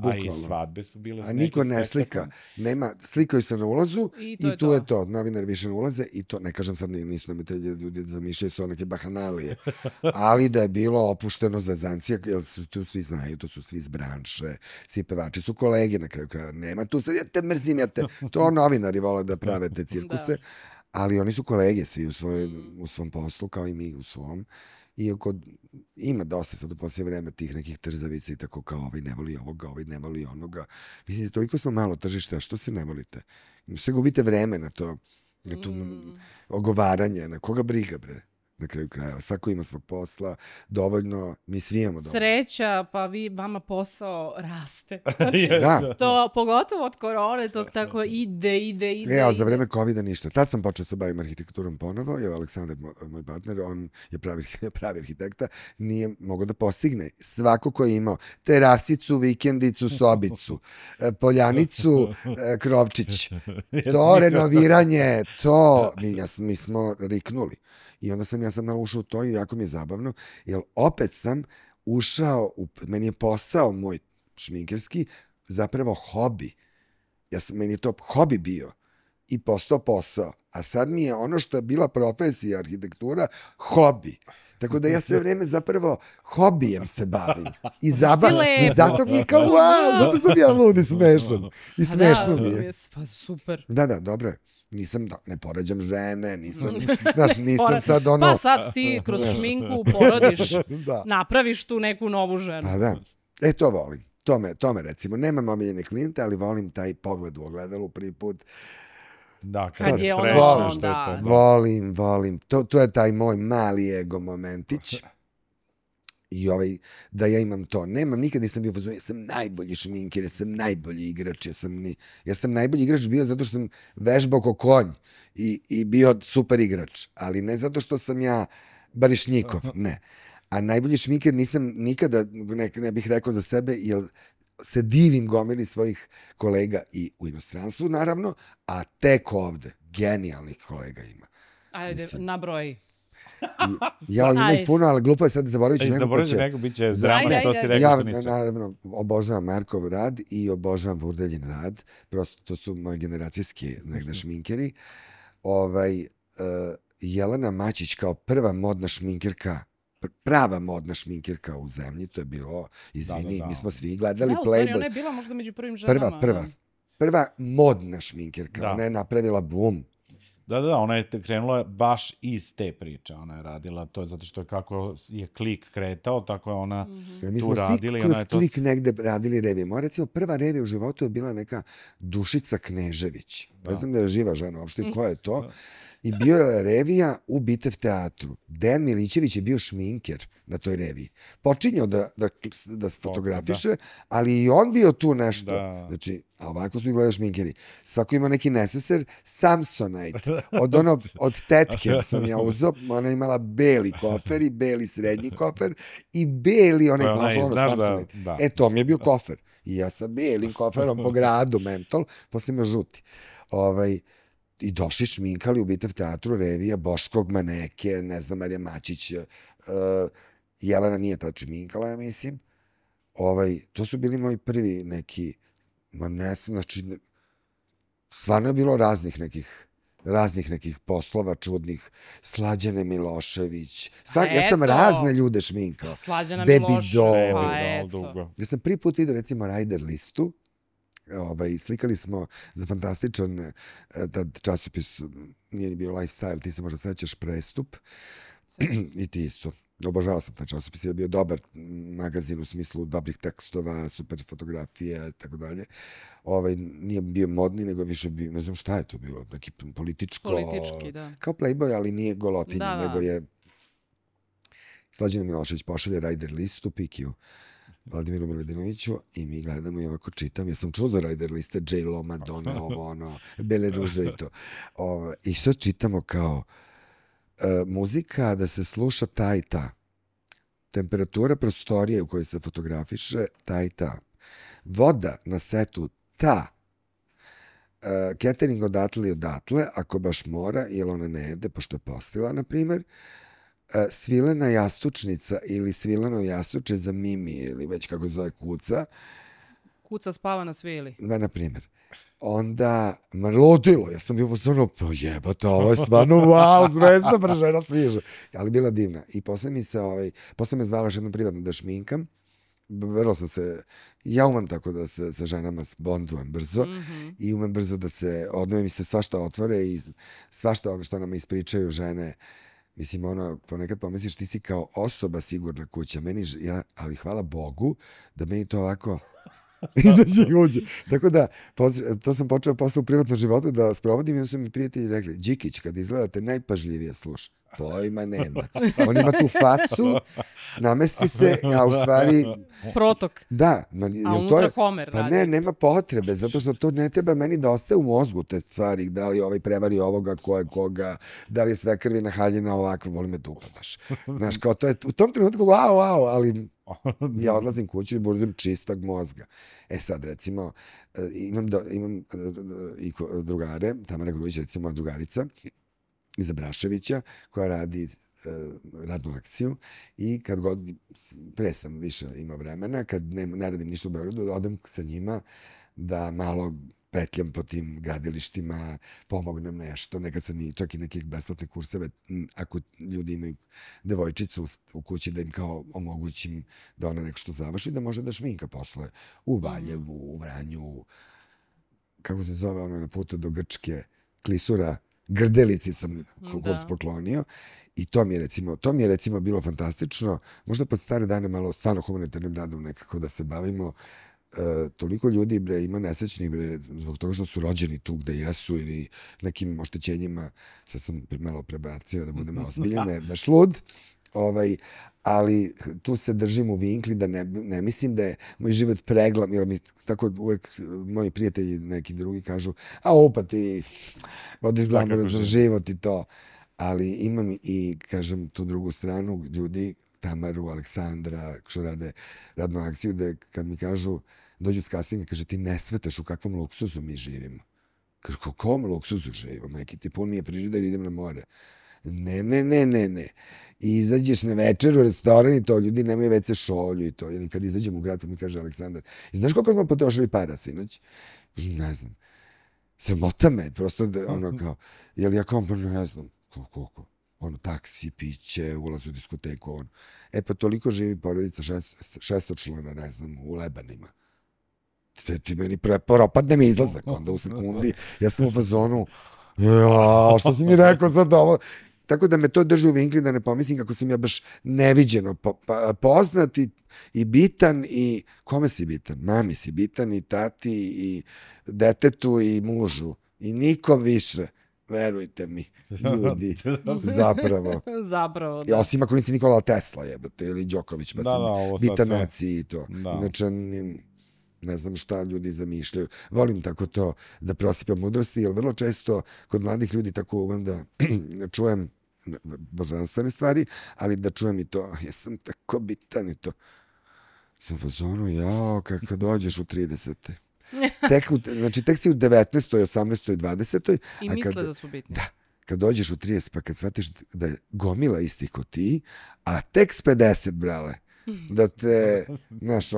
S2: a i svadbe su bile...
S3: A niko ne slika. Nema, slikaju se na ulazu i tu je to. Novinari više ne ulaze i to, ne kažem sad, nisu nam te ljudi zamišljaju su neke bahanalije, ali da je bilo opušteno za zancija, jer tu svi znaju, to su svi iz branše, svi pevači su kolege na kraju kraja. Nema tu sad, ja te mrzim, to novinari vole da prave te cirkuse, ali oni su kolege svi u svom poslu, kao i mi u svom. Iako ima dosta sad u posljednje vreme tih nekih trzavica i tako kao ovaj ne voli ovoga, ovaj ne voli onoga. Mislim, toliko smo malo tržište, a što se ne volite? Sve gubite vreme na to ogovaranje, na koga briga, bre? Na kraju krajeva. Svako ima svog posla, dovoljno, mi svi imamo dovoljno.
S1: Sreća, pa vama posao raste. Znači, to pogotovo od korone, to tako ide.
S3: A za vreme covida ništa. Tad sam počeo se bavim arhitekturom ponovo, jer Aleksandar, moj partner, on je pravi arhitekta, nije mogao da postigne. Svako ko je imao terasicu, vikendicu, sobicu, poljanicu, krovčić, to renoviranje, to, mi smo riknuli. I onda sam ja sad malo ušao u to i jako mi je zabavno, jer opet sam ušao, meni je posao moj šminkerski zapravo hobi. Meni je to hobi bio i postao posao. A sad mi je ono što je bila profesija arhitektura, hobi. Tako da ja sve vreme zapravo hobijem se bavim. I zato mi je kao, wow, zato sam ja lud i smešan. I smešno mi je.
S1: Pa super.
S3: Da, dobro je. Ne poređam žene, nisam sad ono...
S1: Pa sad ti kroz šminku porodiš, napraviš tu neku novu ženu.
S3: Pa da, to volim. To me recimo, nemam omiljene klijente, ali volim taj pogled u ogledalu prvi put.
S2: Da, kad je
S3: srećno što je to. Volim. To je taj moj mali ego momentić. I da ja imam to. Nikad nisam bio ja sam najbolji šminker, ja sam najbolji igrač, ja sam najbolji igrač bio zato što sam vežbao ko konj i bio super igrač, ali ne zato što sam ja Barišnikov, ne. A najbolji šminker nisam nikada, ne bih rekao za sebe, jer se divim gomili svojih kolega i u inostranstvu, naravno, a tek ovde genijalnih kolega ima.
S1: Ajde, nabroj.
S3: Ima ih puno, ali glupo je sad zaboravit ću
S2: neko bit će drama što si rekao.
S3: Ja naravno obožavam Markov rad i obožavam Vurdeljin rad. Prosto to su moje generacijski negde šminkeri. Jelena Mačić kao prva modna šminkerka, prava modna šminkerka u zemlji, to je bilo, izvini, mi smo svi gledali Playboy. Da, u stvari
S1: ona je bila možda među prvim ženama.
S3: Prva modna šminkerka, ona je napravila boom.
S2: Da, ona je krenula baš iz te priče, ona je radila to, zato što kako je klik kretao, tako je ona tu radila.
S3: Mi smo svi kroz klik negde radili revije. Moja recimo prva revija u životu je bila neka Dušica Knežević. Ne znam da je živa žena uopšte, koja je to. I bio je revija u Bitev teatru. Dejan Milićević je bio šminker na toj reviji. Počinjao da se fotografiše, ali i on bio tu nešto.
S2: Da.
S3: Znači, a ovako su izgledali šminkeri. Svako ima neki neseser, Samsonite. Od tetke sam ja uzeo, ona imala beli kofer i beli srednji kofer i beli onaj Samsonite. Da. To mi je bio kofer. I ja sa belim koferom po gradu, mentol, posle ima žuti. I došli šminkali u Bitev teatru, revija, Boškog Maneke, ne znam, Marija Mačić, Jelena nije tad šminkala, ja mislim. To su bili moji prvi neki, znači, stvarno je bilo raznih nekih poslova čudnih. Slađana Milošević. Ja sam razne ljude šminkao.
S1: Slađana Milošević,
S3: eto. Ja sam prvi put vidio, recimo, Rajder listu. Slikali smo za fantastičan tad časopis, nije ni bio Lifestyle, ti se možda sećaš, Prestup. I ti isto. Obožavao sam taj časopis, je bio dobar magazin u smislu dobrih tekstova, super fotografije, tako dalje. Nije bio modni, nego više bio, ne znam šta je to bilo, neki politički,
S1: da.
S3: Kao Playboy, ali nije golotinja, nego je Slađana Milošević pošalje Rajder listu, Pikiju, Vladimiru Miladinoviću, i mi gledamo i ovako čitam. Ja sam čuo za Rajder liste, J-Lo, Madonna, Bele ruže i to. I sad čitamo kao muzika da se sluša ta i ta. Temperatura prostorije u kojoj se fotografiše ta i ta. Voda na setu ta. Catering odatle i odatle, ako baš mora, jer ona ne jede, pošto je postila, na primer. Svilena jastučnica ili svileno jastuče za Mimi, ili već kako zove Kuca.
S1: Kuca spava na svili.
S3: Na primer. Onda, ludilo, ja sam bio stvarno, jebate, ovo je stvarno, wow, zvezda, žena stiže. Ali bila divna. I posle me zvala još jednom privatno da šminkam. Vrlo sam se, ja umem tako da se sa ženama bondujem brzo i umem brzo da se, odnove mi se svašta otvore i svašta ono što nam ispričaju žene. Mislim, ponekad pomisliš ti si kao osoba sigurna kuća. Ali hvala Bogu da meni to ovako izađe i uđe. Tako da, to sam počeo posle u privatnom životu da sprovodim i onda su mi prijatelji rekli, Đikić, kad izgledate najpažljivije sluša. Pojma nema. On ima tu facu, namesti se, a u stvari...
S1: Protok.
S3: Da.
S1: A unutra Homer radi.
S3: Pa ne, nema potrebe, zato što to ne treba meni da ostaje u mozgu te stvari, da li ovaj prevari ovoga, ko je koga, da li je sve krvi nahaljena ovakva, voli me da upadaš. Znaš, kao to je u tom trenutku, wow, ali ja odlazim kuću i budem čistog mozga. Sad, recimo, imam i drugare, Tamara Grujić, recimo, moja drugarica, Iza Braševića, koja radi radnu akciju i kad god, pre sam više imao vremena, kad ne radim ništa u Beogradu, odem sa njima da malo petljam po tim gradilištima, pomognem nešto, nekad sam čak i nekih besplatne kurseve, ako ljudi imaju devojčicu u kući, da im kao omogućim da ona nešto završi, da može da šminka posle u Valjevu, u Vranju, kako se zove ono na putu do Grčke, Klisura, Grdelici sam kurs poklonio i to mi je recimo bilo fantastično. Možda pod stare dane malo stvarno humanitarnim radom nekako da se bavimo. Toliko ljudi ima nesrećnih zbog toga što su rođeni tu gde jesu ili nekim oštećenjima. Sad sam malo prebacio da budem ozbiljan, baš lud. Ali tu se držim u vinkli da ne mislim da je moj život preglam, jer mi tako uvek moji prijatelji neki drugi kažu, pa ti vodiš glamur za život i to. Ali imam i, kažem, tu drugu stranu ljudi, Tamaru, Aleksandra, što rade radnu akciju, da kad mi kažu, dođu s castinga, kaže, ti ne svetaš u kakvom luksuzu mi živimo. Kaže, u kom luksuzu živimo? Majke, ti pun mi je frižider, idem na more. Ne. I izađeš na večer u restoran i to, ljudi nemaju WC šolju i to. Ili kad izađem u grad, pa mi kaže Aleksandar, i znaš koliko smo potrošili para sinoć? Ne znam. Sramota me, prosto ono kao, jel ja kao, ne znam, koliko? Ono, taksi, piće, ulaz u diskoteku, ono. Pa toliko živi porodica šestočlana, ne znam, u Lebanima. Ti meni propadne mi izlazak, onda u sekundi, ja sam u fazonu, što si mi rekao sad ovo? Tako da me to drži u vinkli da ne pomislim kako sam ja baš neviđeno poznat i bitan i kome si bitan? Mami si bitan i tati i detetu i mužu i nikom više. verujte mi, ljudi, zapravo.
S1: Zapravo, da.
S3: Osim ako nisi Nikola Tesla, jebate, ili Đoković, pa sam bitan naciji i to. Inače, ne znam šta ljudi zamišljaju. Volim tako to da prosipam mudrosti, jer vrlo često kod mladih ljudi tako umem da čujem božanstvene stvari, ali da čujem i to, ja sam tako bitan i to. Sam fazonu, jao, kad dođeš u 30. Tek si u 19. 18. 20.
S1: I misle da su bitni.
S3: Da, kad dođeš u 30, pa kad shvatiš da je gomila istih ko ti, a tek s 50, brale, da te, znaš,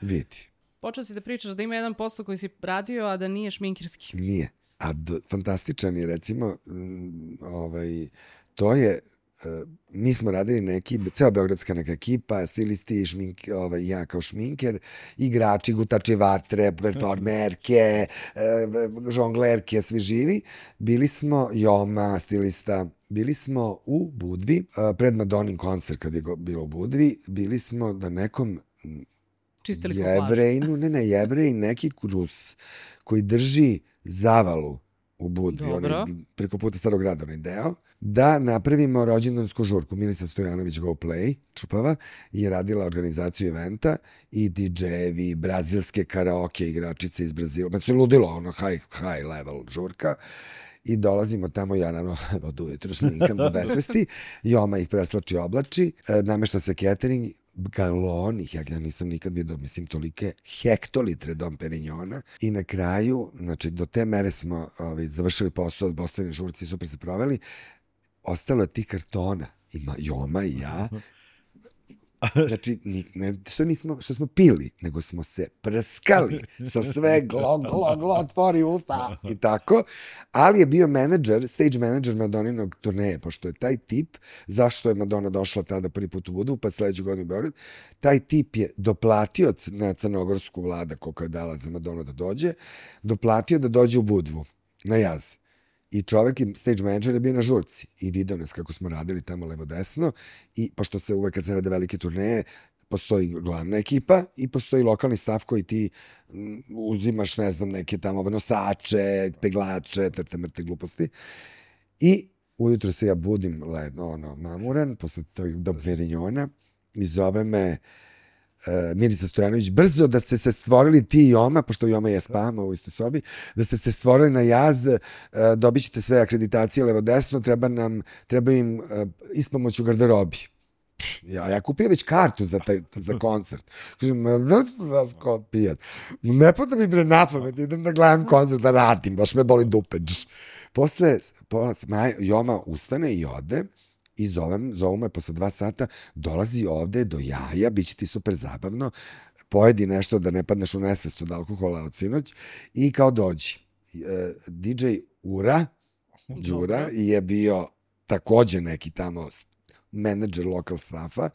S3: vidi.
S1: Počeo si da pričaš da ima jedan posao koji si radio, a da nije šminkirski.
S3: Nije. A fantastičan je, recimo, to je, mi smo radili ceo beogradska neka ekipa, stilisti, ja kao šminker, igrači, gutači vatre, performerke, žonglerke, svi živi. Bili smo, Joma, stilista, bili smo u Budvi, pred Madonin koncert kad je bilo u Budvi, bili smo da nekom Jevrejnu, Jevrej, neki Rus koji drži zavalu u Budvi, preko puta Starog grada, onaj deo, da napravimo rođendansku žurku. Milica Stojanović Go Play, Čupava, je radila organizaciju eventa i DJ-evi, brazilske karaoke igračice iz Brazila. Pa se ludilo, high level žurka. I dolazimo tamo, ja naravno od ujutro šminkam do besvesti, Joma ih preslači oblači, namešta se catering, galoni, ja nisam nikad vidio, mislim, tolike hektolitre Dom Perignona i na kraju, znači, do te mere smo završili posao od Bostojne žurci, super se proveli, ostalo je tih kartona, ima Joma i ja, znači, što smo pili, nego smo se prskali sa sve glo, otvori usta i tako, ali je bio stage manager Madoninog turneje, pošto je taj tip, zašto je Madonna došla tada prvi put u Budvu, pa sledeću godinu u Beograd, taj tip je doplatio na crnogorsku vlada koliko je dala za Madonna da dođe, doplatio da dođe u Budvu, na jaz. I čovek i stage manager je bio na žurci i video nas kako smo radili tamo levo-desno i pošto se uvek kad se rade velike turneje, postoji glavna ekipa i postoji lokalni stav koji ti uzimaš, ne znam, neke tamo nosače, peglače, mrte gluposti. I ujutro se ja budim mamuran, posle tog Dom Perignona i zove me Milica Stojanović, brzo da ste se stvorili ti i Joma, pošto Joma je spama u istoj sobi, da ste se stvorili na jaz, dobit ćete sve akreditacije levo-desno, treba im ispomoć u garderobi. Ja kupio već kartu za koncert. Kažem, ne pada mi bre napamet, idem da gledam koncert, da radim, baš me boli dupe. Posle Joma ustane i ode, i zovu me posle 2 sata, dolazi ovde do jaja, bit će ti super zabavno, pojedi nešto da ne padneš u nesvest od alkohola od sinoć i kao dođi. DJ Đura je bio takođe neki tamo menadžer lokal staffa,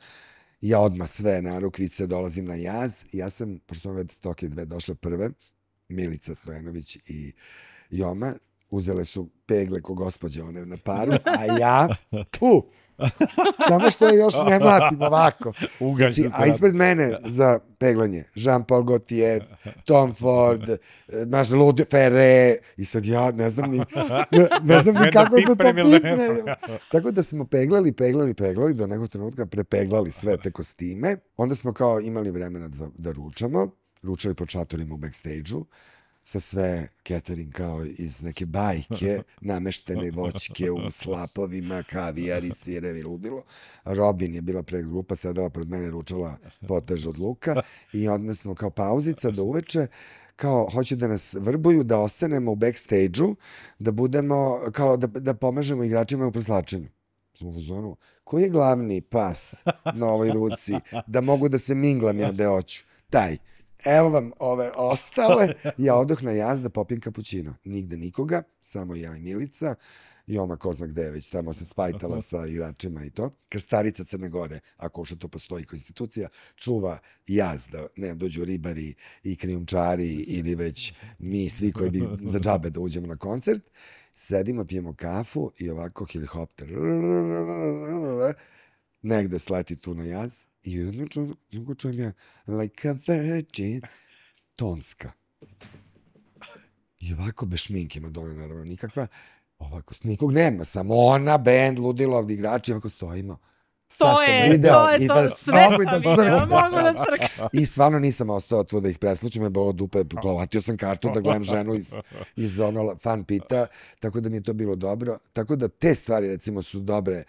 S3: ja odmah sve narukvice dolazim na jaz i ja sam, pošto sam već stoke dve došle prve, Milica Stojanović i Joma, uzele su pegle ko gospođe one na paru, a ja, samo što je još ne mlatim ovako. Znači, a ispred mene za peglanje Jean-Paul Gaultier, Tom Ford, naš Ludi Ferre, i sad ja ne znam ni kako se to pipne. Tako da smo peglali, do nekog trenutka prepeglali sve te kostime. Onda smo kao imali vremena da ručali po čatorima u backstage-u, sa sve catering kao iz neke bajke, nameštene voćke u slapovima, kavijari, sirevi, ludilo. Robin je bila predgrupa, sedala pred mene, ručala potež od luka i onda smo kao pauzica do uveče, kao hoće da nas vrbuju, da ostanemo u backstage-u, da budemo, kao da pomažemo igračima u preslačenju. Smo u zonu, koji je glavni pas na ovoj ruci, da mogu da se minglam ja da hoću? Taj. Evo vam ove ostale, ja odoh na jaz da popijem kapućino. Nigde nikoga, samo ja i Milica. Joma ko zna gde je već tamo se spajtala sa igračima i to. Krstarica Crne Gore, ako što to postoji kao institucija, čuva jaz da ne dođu ribari i krijumčari ili već mi svi koji bi za džabe da uđemo na koncert. Sedimo, pijemo kafu i ovako helikopter negde sleti tu na jaz. I jedno čujem ja, like a virgin, tonska. I ovako bez šminke, Madonna naravno nikakva, ovako, nikog nema, samo ona, band, ludilo, ovdje igrači, ovako stojimo.
S1: To je to, sve sam vidjela, mogu da crkam.
S3: I stvarno nisam ostao tu da ih preslučim, je bilo dupe, govatio sam kartu da gledam ženu iz ono fan pita, tako da mi je to bilo dobro. Tako da te stvari, recimo, su dobre,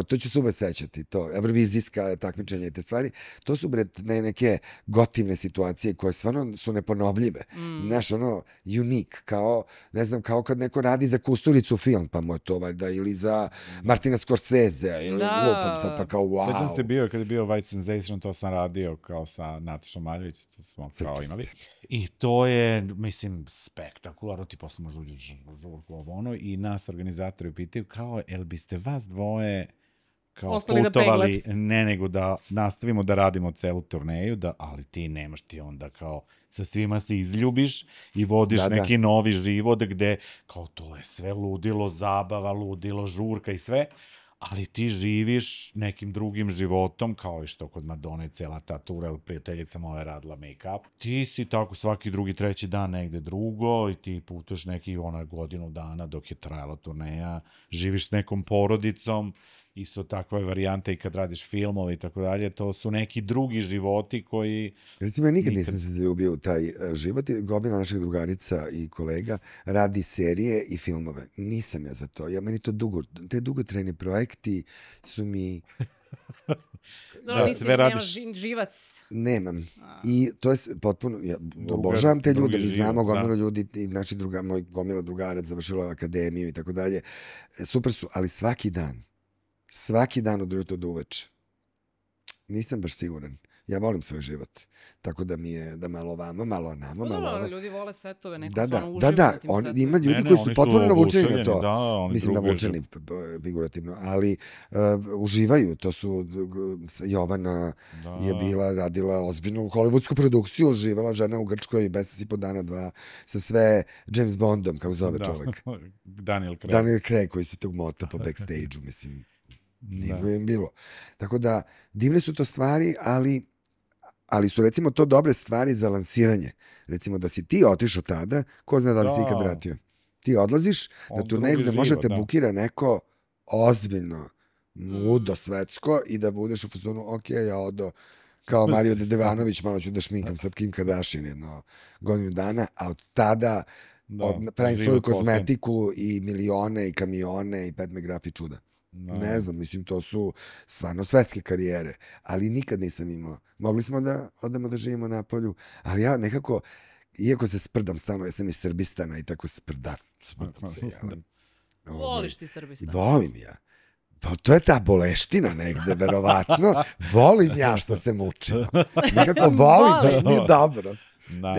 S3: to ću se uvek sećati, to, evrovizijska takmičenja i te stvari, to su neke gotivne situacije koje stvarno su neponovljive. Znaš, unik, kao, ne znam, kao kad neko radi za Kusturicu film, pa mu je to valjda, ili za Martina Scorsese, ili lupam sad, pa kao wow.
S2: Sećam se kada je bio White Sensation, to sam radio kao sa Natašom Maljević, to smo kao imali. I to je, mislim, spektakularno, ti posle možda uđeš i nas organizatori pitaju kao, jel biste vas dvoje kao
S1: ostali
S2: putovali, ne nego da nastavimo da radimo celu turneju, ali ti nemaš, ti onda kao sa svima se izljubiš i vodiš neki novi život gde kao to je sve ludilo, zabava, ludilo, žurka i sve, ali ti živiš nekim drugim životom, kao i što kod Madone cela ta tura, ili prijateljica moja radila make-up. Ti si tako svaki drugi, treći dan negde drugo i ti putuješ neki godinu dana dok je trajala turneja, živiš s nekom porodicom, isto takva je varijanta i kad radiš filmove i tako dalje, to su neki drugi životi koji...
S3: Recimo, ja nikad nisam se zaljubio u taj život, gomila naših drugarica i kolega radi serije i filmove. Nisam ja za to. Meni to te dugotrajni projekti su mi...
S1: Nemaš živac.
S3: Nemam. I to je potpuno... Obožavam te ljude, mi znamo gomilu ljudi, naši moj gomila drugarac završila akademiju i tako dalje. Super su, ali svaki dan od jutra do uveče. Nisam baš siguran. Ja volim svoj život. Tako da mi je da malo vamo, malo namo, malo ovo.
S1: Ljudi vole setove, neko stvarno uživa na tim setovima.
S3: Ima ljudi koji su potpuno navučeni na to. Mislim, navučeni figurativno, ali uživaju. To su Jovana je radila ozbiljnu hollywoodsku produkciju, živala žena u Grčkoj mesec i po dana, 2, sa sve James Bondom, kako zove čovek.
S2: Daniel
S3: Craig, koji se tog mota po backstage-u, mislim. Divno je bilo. Tako da, divne su to stvari, ali su recimo to dobre stvari za lansiranje. Recimo da si ti otišao tada, ko zna da li si ikad vratio. Ti odlaziš na turneju gde možete bukira neko ozbiljno, ludo, svetsko i da budeš u fazonu, ok, ja odo kao Mario Dedevanović, malo ću da šminkam sad Kim Kardashian jedno godinu dana, a od tada pravim svoju kozmetiku i milione i kamione i Pat McGrath i čuda. Ne znam, mislim, to su stvarno svetske karijere, ali nikad nisam imao. Mogli smo da odemo da živimo na polju, ali ja nekako, iako se sprdam stalno, ja sam iz Srbistana i tako sprdam se.
S1: Voliš ti Srbistan?
S3: Volim ja. Pa to je ta boleština negde, verovatno. Volim ja što se mučim. Nekako volim, baš mi je dobro.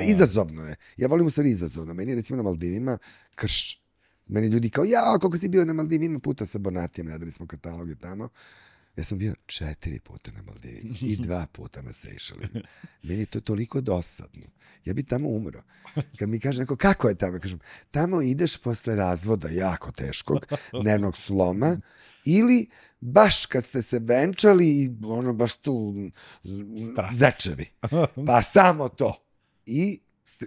S3: Izazovno je. Ja volim u stvari izazovno. Meni je recimo na Maldivima krš. Meni ljudi kao, koliko si bio na Maldivima, puta sa Bonatijem, radili smo kataloge tamo. Ja sam bio 4 puta na Maldivima i 2 puta na Sejšelima. Meni je to toliko dosadno. Ja bi tamo umro. Kad mi kaže neko, kako je tamo? Kažem, tamo ideš posle razvoda jako teškog, nervnog sloma, ili baš kad ste se venčali i baš tu zečevi. Pa samo to. I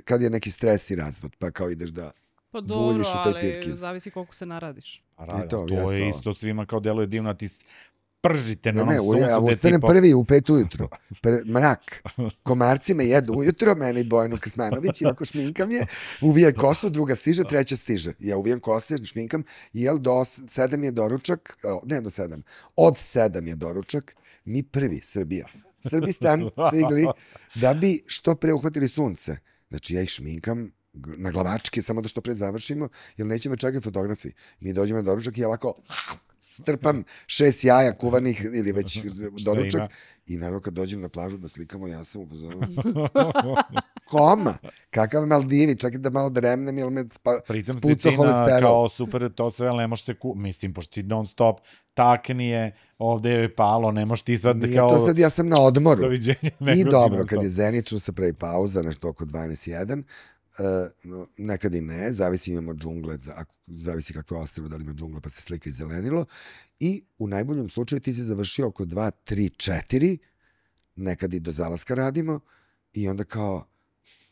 S3: kad je neki stres i razvod, pa kao ideš da
S1: pa dobro, ali zavisi koliko se naradiš.
S2: To je isto svima kao deluje divno, a ti pržite na onom suncu.
S3: Ja ustanem prvi u 5 ujutru. Mrak. Komarci me jedu ujutro, mene i Bojanu Krsmanović, i ovako šminkam je, uvijaj kosu, druga stiže, treća stiže. Ja uvijam kose, šminkam, jel do 7 je doručak, ne do 7, od 7 je doručak, mi prvi, Srbija. Srbistan stigli da bi što pre uhvatili sunce. Znači ja ih šminkam na glavačke, samo da što pre završimo, jer neće me čekati fotografi. Mi dođemo na doručak i ja ovako strpam 6 jaja kuvanih ili već doručak i naravno kad dođem na plažu da slikamo, ja sam u fazonu. Koma? Kakav Maldivi? Čak i da malo dremnem, jer me spuca holesterol.
S2: Kao super, to sve, ali ne možeš se mislim, pošto ti non stop taknije, ovde je palo, ne možeš ti sad
S3: nije kao... Nije to sad, ja sam na odmoru. I dobro, kad je Zenicu se pravi pauza, nešto oko 12:01, nekad i ne, zavisi imamo džungle, zavisi kakve ostrvo, da li ima džungle pa se slika i zelenilo, i u najboljem slučaju ti si završio oko 2, 3, 4, nekad i do zalaska radimo, i onda kao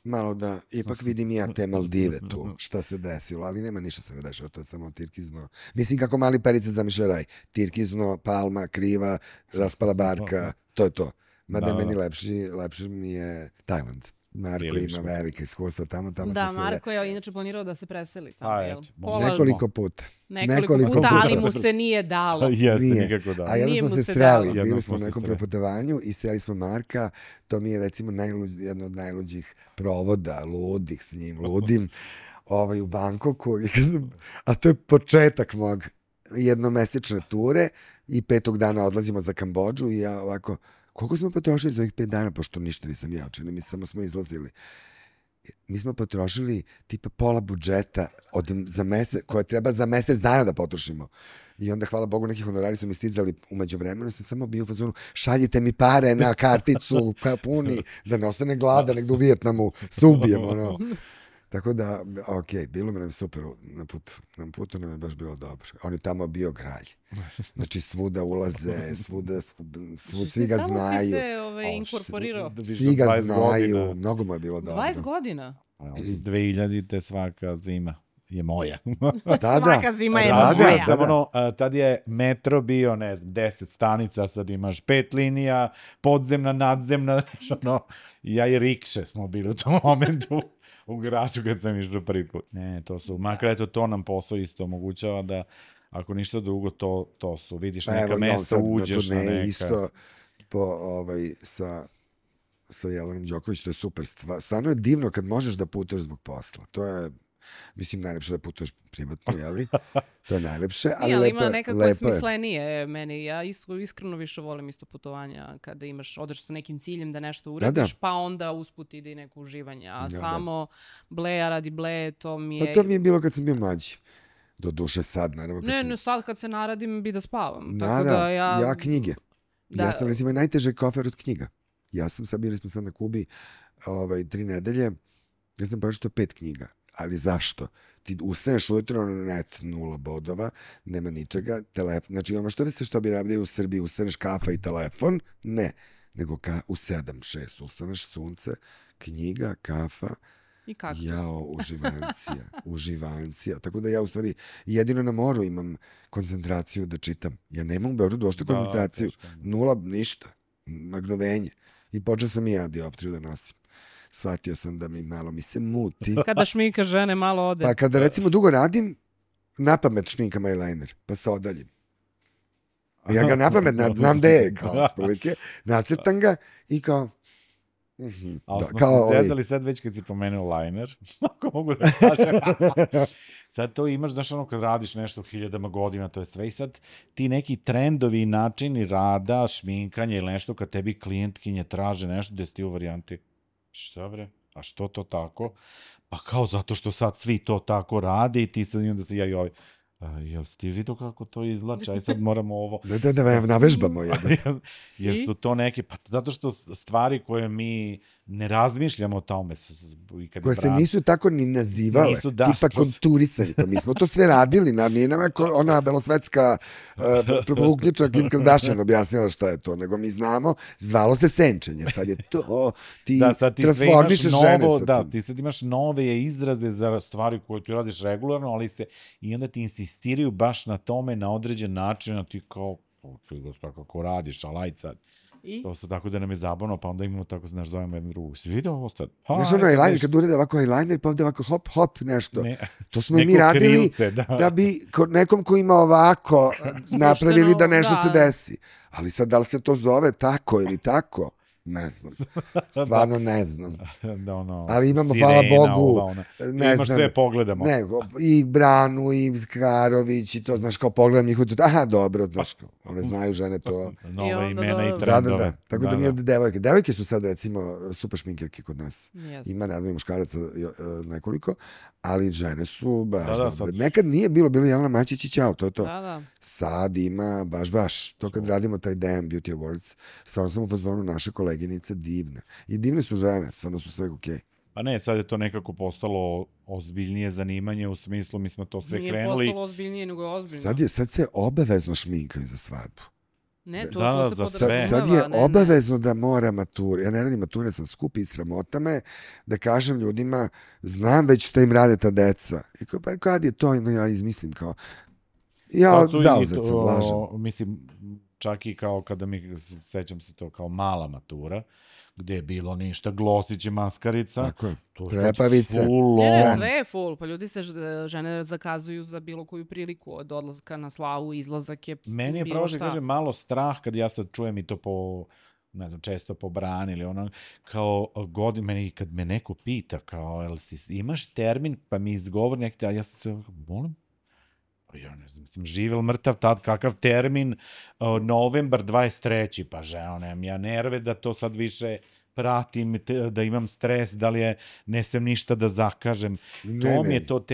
S3: malo da ipak vidim ja te Maldive tu, šta se desilo, ali nema ništa se ne dešava, to je samo tirkizno. Mislim kako mali Perica zamišlja raj, tirkizno, palma, kriva, raspala barka, to je to. Mada meni lepši mi je Tajland. Marko ima velike iskustva tamo
S1: da, Marko je inače planirao da se preseli tamo, jel?
S3: Nekoliko puta,
S1: ali mu se nije dalo.
S2: Jeste, nikako da.
S3: A jedno smo se sreli, bili smo u nekom preputovanju i sreli smo Marka, to mi je recimo jedno od najluđih provoda, ludih s njim, ludim, u Bangkoku, a to je početak mog jednomesečne ture i 5. dana odlazimo za Kambodžu i ja ovako, koliko smo potrošili za ovih 5 dana, pošto ništa nisam ja učinio, mi samo smo izlazili. Mi smo potrošili tipa pola budžeta za mesec, koje treba za mesec dana da potrošimo. I onda, hvala Bogu, neki honorari su mi stizali umeđu vremenu, sam samo bio u fazonu, šaljite mi pare na karticu, puni, da ne ostane glada, negdje u Vijetnamu, se ubijem, ono. Tako da, bilo mi nam super na putu. Na putu nam je baš bilo dobro. On je tamo bio kralj. Znači, svuda ulaze, svi ga znaju.
S1: Tamo si se inkorporirao.
S3: Svi ga znaju, mnogo mu je bilo dobro.
S1: 20 godina?
S2: 2000-te svaka zima je moja.
S1: Svaka zima je moja.
S2: Tad je metro bio, ne znam, 10 stanica, sad imaš 5 linija, podzemna, nadzemna, ja i rikše smo bili u tom momentu. U gradu kad sam išao prvi put. Ne, makar eto to nam posao isto omogućava da ako ništa drugo to su, vidiš neka mesta, uđeš na neka.
S3: Isto sa Jelenom Đoković, to je super stvar. Stvarno je divno kad možeš da putuješ zbog posla. To je, mislim, najlepše da putuješ privatno, jeli? To je najlepše, ali lepo je.
S1: Ima nekako smislenije meni. Ja iskreno više volim isto putovanja kada odeš sa nekim ciljem da nešto uradiš, pa onda usput ide i neko uživanje. A samo bleja radi bleje, to mi je...
S3: Pa to mi je bilo kad sam bio mlađi. Do duše sad, naravno.
S1: Ne, sad kad se naradim bi da spavam.
S3: Ja knjige. Ja sam recimo najteže kofer od knjiga. Bili smo sad na Kubi 3 nedelje, ja sam pročitao 5 knjiga. Ali zašto? Ti ustaneš ujutro, net 0 bodova, nema ničega, telefon, znači ono što bi radili u Srbiji, ustaneš kafa i telefon, ne, nego u 7-6 ustaneš, sunce, knjiga, kafa,
S1: i kaktus.
S3: Uživancija. Tako da ja u stvari jedino na moru imam koncentraciju da čitam. Ja nemam u Beogradu ošte koncentraciju, 0, ništa, magnovenje. I počeo sam i ja dioptriju da nosim. Shvatio sam da malo mi se muti.
S1: Kada šminka žene malo ode.
S3: Pa kada recimo dugo radim, napamet šminkam eyeliner, pa se odaljim. Ja ga napamet, znam gde je, kao otprilike, nacrtam ga i kao...
S2: Ali smo se zezali sad već kad si pomenuo liner, ako mogu da kažem. Sad to imaš, znaš kad radiš nešto 1000 godina, to je sve i sad ti neki trendovi i načini rada, šminkanja ili nešto, kad tebi klijentkinje traže nešto, gde si ti u varijanti, šta bre, a što to tako? Pa kao zato što sad svi to tako rade i ti sad onda se jel si ti vidio kako to izlače, aj sad moramo ovo...
S3: Da, navežbamo jedan.
S2: Jer su to neke, pa zato što stvari koje mi ne razmišljamo o tome.
S3: Koje se nisu tako ni nazivale, tipa konturisanje, pa mi smo to sve radili, nije nam ona belosvetska uključa Kim Kardashian objasnila šta je to, nego mi znamo, zvalo se senčenje, sad je to, ti transformišeš žene sa tim.
S2: Da, ti sad imaš nove izraze za stvari koje ti radiš regularno, ali i onda ti insistiraju baš na tome, na određen način, a ti kao, kako radiš, alaj sad. To su tako da nam je zabavno, pa onda imamo tako, znaš, zovemo jednu drugu. Si vidio ovo sad?
S3: Znaš ono eyeliner, kad urede ovako eyeliner, pa ovde ovako hop, nešto. To smo mi radili da bi nekom ko ima ovako napravili da nešto se desi. Ali sad, da li se to zove tako ili tako? Ne znam. Stvarno ne znam. Ali imamo, hvala Bogu,
S2: ne znam. Sve pogledamo.
S3: I Branu, i Skarović, i to, znaš, kao pogledam njih, aha, dobro, znaš, one znaju žene to.
S2: Nove imena i trendove.
S3: Da. Tako da mi od devojke. Devojke su sad, recimo, super šminkerke kod nas. Ima, naravno, i muškaraca nekoliko, ali žene su baš dobre. Nekad nije bilo Jelena Mačić i ćao, to je to. Sad ima baš. To kad radimo taj DM Beauty Awards, stvarno sam u fazonu naše koleginice divne. I divne su žene, stvarno su sve okej.
S2: Pa ne, sad je to nekako postalo ozbiljnije zanimanje, u smislu mi smo to sve krenuli.
S1: Nije postalo ozbiljnije, nego je ozbiljno.
S3: Sad se obavezno šminkaju za svadbu.
S1: Ne, to se podrazumeva.
S3: Sad je obavezno da mora mature. Ja ne radim mature, sam skupi i sramota me da kažem ljudima, znam već što im rade ta deca. I kao, pa kad je to, ja izmislim kao, ja zauzet sam, lažem.
S2: Mislim, čak i kao kada sećam se to kao mala matura, gde je bilo ništa, glosić i maskarica.
S3: Tako je, prepavice.
S1: Sve je full, pa ljudi se, žene zakazuju za bilo koju priliku, od odlaska na slavu, izlazak je bilo šta.
S2: Meni je pravo da kažem malo strah kad ja sad čujem i to po, ne znam, često po brani ili ono, kao meni kad me neko pita, kao, jel imaš termin, pa mi izgovor nekde, a ja se molim, ja ne znam, mislim, živ ili mrtav tad, kakav termin, novembar 23. Pa ženo, nemam ja nerve da to sad više pratim, da imam stres, da li je, ne sem ništa da zakažem. To mi je to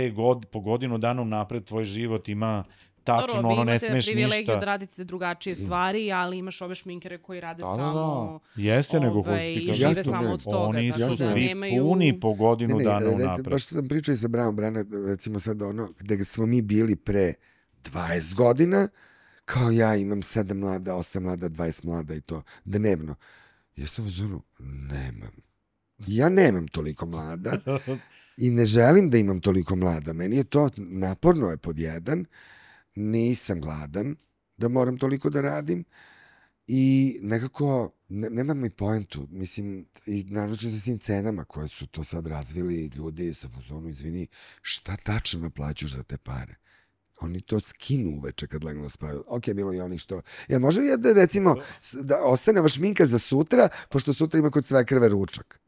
S2: po godinu dana napred tvoj život ima tačno, ono ne smeš ništa.
S1: Vi imate privilegiju da radite drugačije stvari, ali imaš ove šminkere koji rade samo...
S2: Jeste, nego hoću ti kažem.
S1: Žive samo od toga.
S2: Oni su svi puni po godinu dana napred.
S3: Baš sam pričao i sa Brana, recimo sad ono, gde smo mi bili pre 20 godina, kao ja imam 7 mlada, 8 mlada, 20 mlada i to, dnevno. Ja sam u zonu, nemam. Ja nemam toliko mlada i ne želim da imam toliko mlada. Meni je to naporno je pod jedan, nisam gladan da moram toliko da radim i nekako nemam i poentu. Mislim, i naročito s tim cenama koje su to sad razvili ljudi sa fuzonu, izvini, šta tačno naplaćuš za te pare? Oni to skinu uveče kad legnu da spavaju. Ok, bilo i oni što... Ja, može li da, recimo, da ostane vaš šminka za sutra, pošto sutra ima kod sve krve ručak?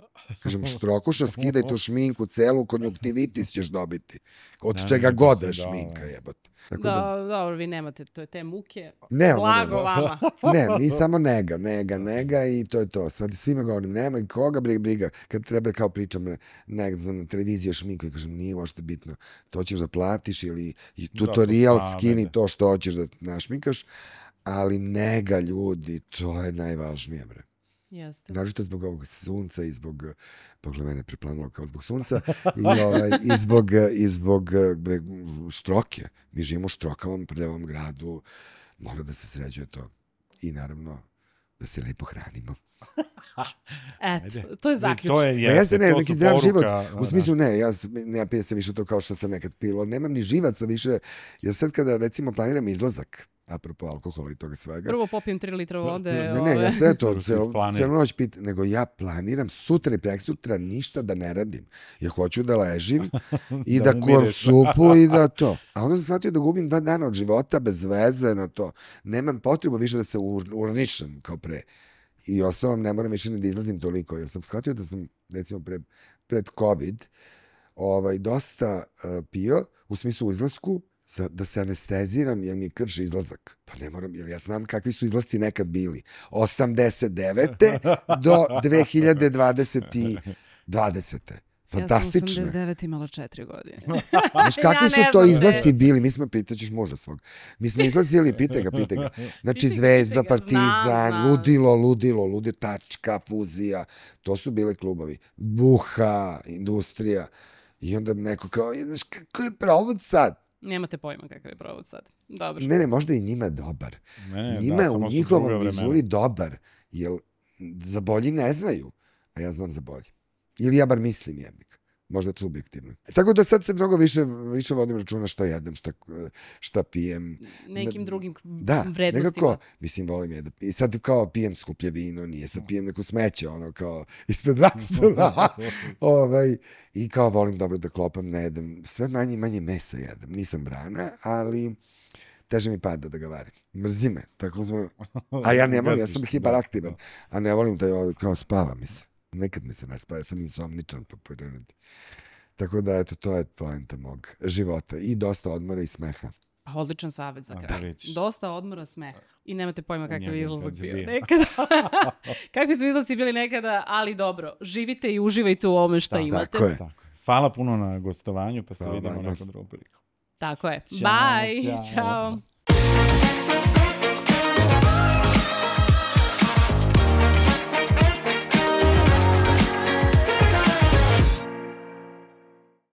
S3: Kažem, štrokuša, skidaj tu šminku, celu konjunktivitis ćeš dobiti. Od čega god da šminka, jebote.
S1: Dobro, vi nemate te muke.
S3: Blago
S1: vama.
S3: Ne, mi samo nega i to je to. Sad svima govorim, nema i koga briga. Kad treba kao pričam na televiziji o šminku i kažem, nije možete bitno. To ćeš da platiš ili tutorial skini to što hoćeš da našminkaš, ali nega ljudi, to je najvažnije, bre.
S1: Jeste.
S3: Naravno zbog ovog sunca i zbog, pogled mene preplanulo kao zbog sunca, i zbog štroke. Mi živimo u štrokavom prljavom gradu, mora da se sređuje to. I naravno da se lepo hranimo.
S1: Eto, to je zaključak.
S3: Neki zdrav život. U smislu ne pije se više to kao što sam nekad pilo. Nemam ni živaca više. Ja sad kada recimo planiram izlazak, apropo alkohola i toga svega.
S1: Prvo popijem 3 litra vode.
S3: Ne, ja sve to, cijelu noć pitam, nego ja planiram sutra i preksutra ništa da ne radim. Ja hoću da ležim i da kuvam supu i da to. A onda sam shvatio da gubim 2 dana od života bez veze na to. Nemam potrebu više da se urničem kao pre. I ostalom ne moram više da izlazim toliko. Ja sam shvatio da sam, recimo, pred COVID dosta pio, u smislu u izlasku, da se anesteziram jer mi krši izlazak. Pa ne moram, jer ja znam kakvi su izlazci nekad bili. 89. do 2020. Fantastično.
S1: Ja sam 89 imala 4 godine.
S3: Znaš, kakvi su to izlazci bili? Mi smo, pitaćeš muža svog. Mi smo izlazili, pitaj ga. Znači, Zvezda, Partizan, Ludilo, Tačka, Fuzija. To su bile klubovi. Buha, Industrija. I onda neko kao, znaš, kako je provod sad?
S1: Nemate pojma kakav je provod sad. Dobro.
S3: Ne, možda i njima dobar. Njima je u njihovom vizuri dobar. Jer za bolji ne znaju. A ja znam za bolji. Ili ja bar mislim jebik. Možda subjektivno. Tako da sad se mnogo više vodim računa šta jedem, šta pijem.
S1: Nekim drugim vrednostima.
S3: Nekako, mislim, volim je da pijem. I sad kao pijem skuplje vino, nije sad pijem neko smeće, ono kao ispred rastuna. I kao volim dobro da klopam, ne jedem. Sve manje mesa jedem. Nisam Brana, ali teže mi pada da ga varim. Mrzi me. Tako smo... A ja ne volim, ja sam hiperaktivan. A ne volim da kao spava mi se. Nekad mi se ne spava, ja sam insomničan po prirodi. Tako da, eto, to je poenta mog života. I dosta odmora i smeha.
S1: Odličan savjet za kraj. Dosta odmora, smeha. I nemate pojma kakav je izlazak bio nekada. Kakvi su izlazci bili nekada, ali dobro. Živite i uživajte u ovome šta imate.
S3: Tako je.
S2: Hvala puno na gostovanju, pa se vidimo nekom drugom priliku.
S1: Tako je. Bye. Ćao.